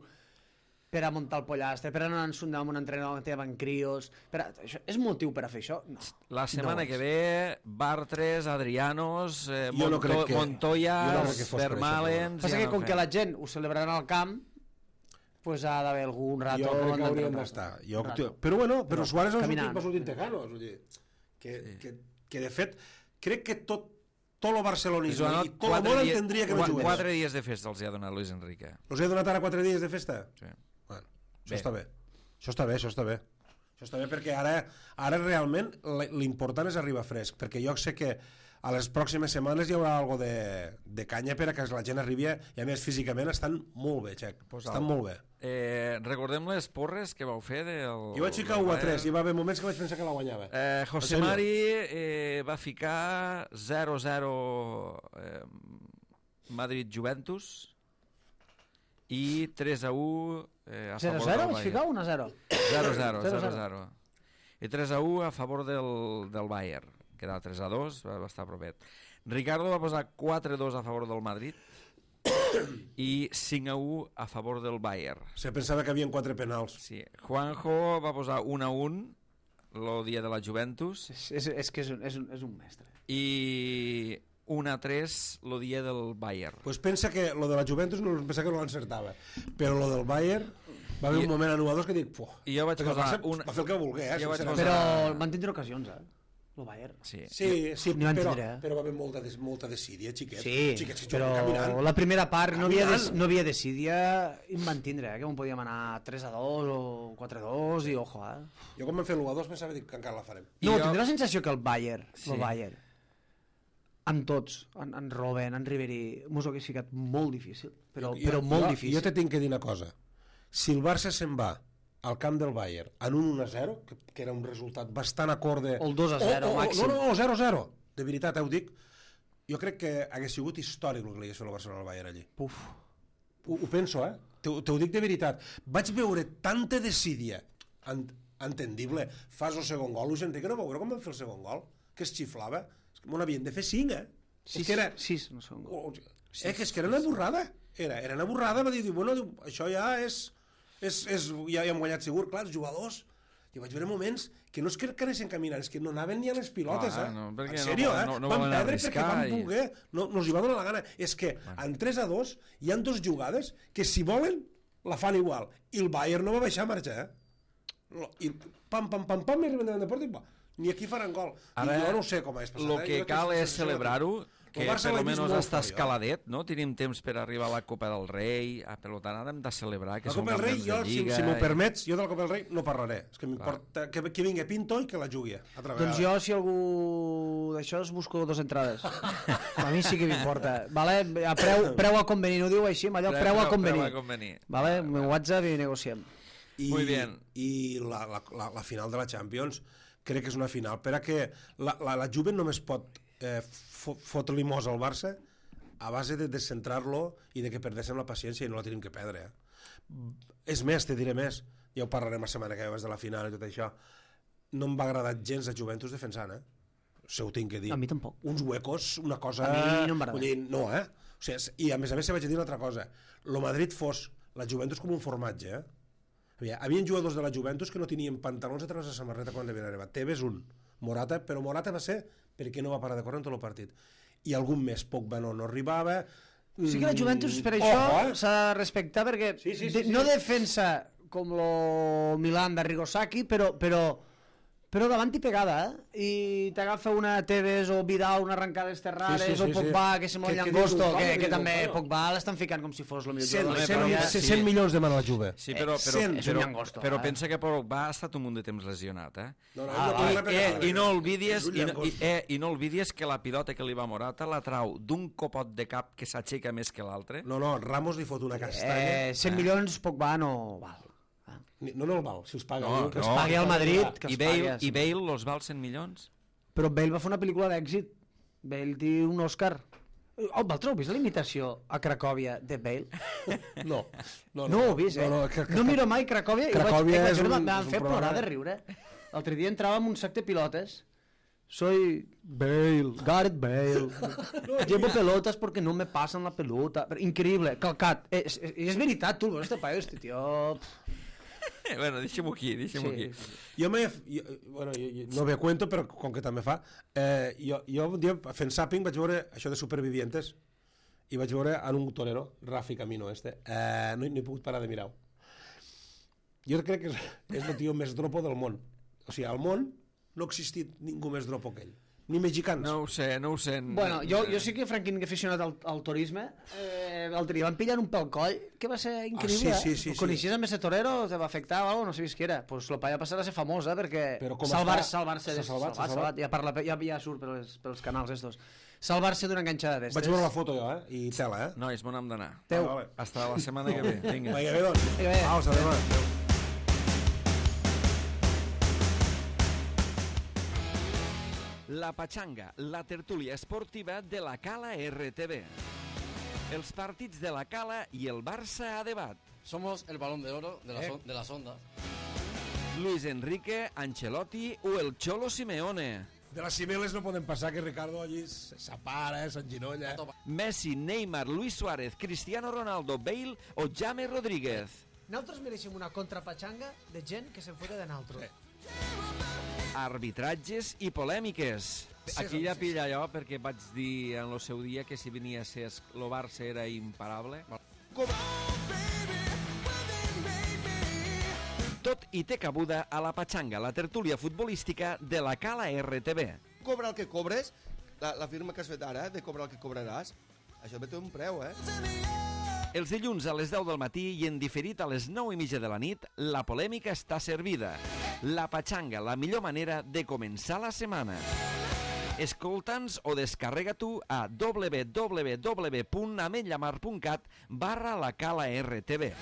per a muntar el pollastre, per a anar amb un entrenador que té amb crios... Això és motiu per a fer això? No. La setmana que ve, Bartres, Adrianos, Jo no crec que- Montoya, jo no crec que fos per Vermalen... Passa que com que la gent ho celebraran al camp, pues ha d'haver algun rato... Jo crec que haurien d'entrenar. d'estar. Però bueno, però Suárez caminant. va sortint tejanos. Vull dir, que de fet, crec que tot el barcelonisme i tot el món entendria que no jugués. 4 dies de festa els hi ha donat Luis Enrique. Els he donat ara 4 dies de festa? Sí. Bueno, això està bé. Això està bé perquè ara realment l'important és arribar fresc, perquè jo sé que a les pròximes setmanes hi haurà algo de canya per a que la gent arribi, i a més físicament estan molt bé, Xec, estan molt bé. Recordem les porres que vau fer del... Jo vaig ficar 1-3, hi va haver moments que vaig pensar que la guanyava. José Mari va ficar 0-0 Madrid-Juventus i 3-1 a favor 0-0? del Vaig ficar 1-0? 0-0 i 3-1 a favor del Bayern, que era 3-2, va estar propet. Ricardo va posar 4-2 a favor del Madrid i 5-1 a favor del Bayern. Se pensava que havien 4 penals. Sí. Juanjo va posar 1-1 el dia de la Juventus És que és un mestre. i 1-3 el dia del Bayern. Pues pensa que lo de la Juventus pensa que no l'encertava, però lo del Bayern va haver un moment a 1-2 que dic, I jo vaig posar va fer el que volgué, Jo vaig sincerament. Però van tindre ocasions, el Bayern. Sí. Sí, N'hi van però tindre, va haver molta desídia, xiquets. Sí, Xiquets que però juguen caminant. la primera part no Caminant. havia decidia i em van tindre, que on podíem anar 3-2 o 4-2 i ojo, Jo quan vam fer l'1-2 pensava que encara la farem. No, jo- tindré la sensació que el Bayern, Sí. amb tots, en Robben, en Ribéry, mos ho hagués ficat molt difícil, però Jo- molt jo- difícil. Jo te tinc que dir una cosa. Si el Barça se'n va al camp del Bayern en un 1-0, que era un resultat bastant acorde... O el 2-0 màxim. No, 0-0. De veritat, ho dic. Jo crec que hagués sigut històric el que li hagués fet el Barcelona al Bayern allí. Puf. Ho penso, T'ho dic de veritat. Vaig veure tanta desídia entendible. Fas el segon gol, Luis Enrique no va veure com van fer el segon gol, que es xiflava. És que m'ho havien de fer 5, És que era... 6, no sé un gol. Que és que era una burrada. Era una burrada, va dir, bueno, això ja és ja hem guanyat segur, clar, els jugadors. Jo vaig veure moments que no és que anessin caminant, és que no anaven ni a les pilotes, No, perquè en sèrio, no van volen perdre arriscar perquè van voler, no els hi va donar la gana. És que en 3-2 hi han 2 jugades que si volen la fan igual, i el Bayern no va baixar a marxar, i pam, i arriben de porta i ni aquí faran gol. Ara, I jo no sé com és passat. el que cal és celebrar-ho, que Barça per l'he almenys vist molt està fort, jo. escaladet, no? Tenim temps per arribar a la Copa del Rei, per tant ara hem de celebrar que La som Copa del Rei, campions jo, de Lliga. si m'ho permets, jo de la Copa del Rei no parlaré. És que m'importa que vingui Pinto i que la jugui altra vegada. Doncs jo, si algú d'això, us busco 2 entrades. A mi sí que m'importa. Vale? A preu a convenir, no ho diu així, amb allò preu a convenir. Vale? El meu WhatsApp i negociem. Muy bien. I la final de la Champions crec que és una final per a que la Juve només pot fotre-li mos al Barça a base de descentrar-lo i de que perdéssim la paciència i no la tenim que perdre. És més, te diré més, ja ho parlarem la setmana que ve de la final i tot això. No em va agradar gens a Juventus defensant, Això ho tinc que dir. A mi tampoc. Uns huecos, una cosa... A mi no em va agradar. Vull dir, no, O sigui, i a més se vaig a dir una altra cosa. Lo Madrid fos la Juventus com un formatge, Havien jugadors de la Juventus que no tenien pantalons a través de la samarreta quan havien arribat. Tevez un, Morata, però Morata va ser perquè no va parar de córrer en tot el partit. I algun més, Pogba no arribava... Sí que la Juventus per això s'ha de respectar perquè Sí. no defensa com lo Milan d'Arrigo Sacchi, però davant i pegada, i t'agafa una Tevez o Vidal, una arrencada esterrades, o Pogba, que sembla Llangosto, que també Pogba l'estan ficant com si fos el millor jugador. 100 milions demana la Juve. Sí, però és un llangosto, però pensa que Pogba ha estat un munt de temps lesionat, No, I no oblidis que la pilota que li va a Morata la trau d'un copot de cap que s'aixeca més que l'altre. No, Ramos li fot una castanya. 100 milions Pogba no val. No el val, si els paga. Que els pagui al Madrid, que els pagui. I Bale els val 100 milions? Però Bale va fer una pel·lícula d'èxit. Bale té un Òscar. Valtre, heu vist la imitació a Cracòvia de Bale? No No ho heu vist, No miro mai Cracòvia i Cracòvia és em un van fer programa. plorar de riure. L'altre dia entrava amb un sac de pilotes, soy Bale, Gareth Bale. Llevo pelotas porque no me pasan la pelota. Increïble, calcat. És veritat, tu, este paio, este tio... Bueno, deixem-ho aquí. Jo no ve a cuento, però com que també fa, jo un dia fent zapping vaig veure això de Supervivientes i vaig veure en un torero, Rafi Camino no he pogut parar de mirar-ho. Jo crec que és el tio més dropo del món. O sigui, al món no ha existit ningú més dropo que ell. Ni mexicans. No ho sé. Bueno, jo sí que franquin que he aficionat al turisme. L'altre dia van pillar un pel coll que va ser increïble. Sí. Coneixies amb ese torero? Te va afectar o alguna cosa? No sabies què era. Pues lo paia passar a ser famós, perquè salvar-se. Ja surt pels canals estos. Salvar-se d'una enganxada d'estes. Vaig veure la foto jo, i tela, Nois, bon hem d'anar. Vale. Hasta la setmana que ve. Vinga. Vinga, bé, doncs. Au, adéu. La Pachanga, la tertúlia esportiva de la Cala RTV. Els partits de la Cala i el Barça a debat. Somos el balón de oro de las ondas. Luis Enrique, Ancelotti o el Cholo Simeone. De les cimeles no podem passar que Ricardo allí s'apara, s'enginolla. Messi, Neymar, Luis Suárez, Cristiano Ronaldo, Bale o James Rodríguez. Nosaltres mereixem una contrapatxanga de gent que se'n fora de nosaltres. Arbitratges i polèmiques. Aquí ja pilla jo, perquè vaig dir en el seu dia que si venia a ser el Barça era imparable. Tot i té cabuda a la Pachanga, la tertúlia futbolística de la Cala RTV. Cobra el que cobres, la firma que has fet ara, de cobrar el que cobraràs, això també té un preu, Els dilluns a les 10 del matí i en diferit a les 9:30 de la nit, la polèmica està servida. La Pachanga, la millor manera de començar la setmana. Escolta'ns o descarrega tu a www.ametllamar.cat/la Cala RTV.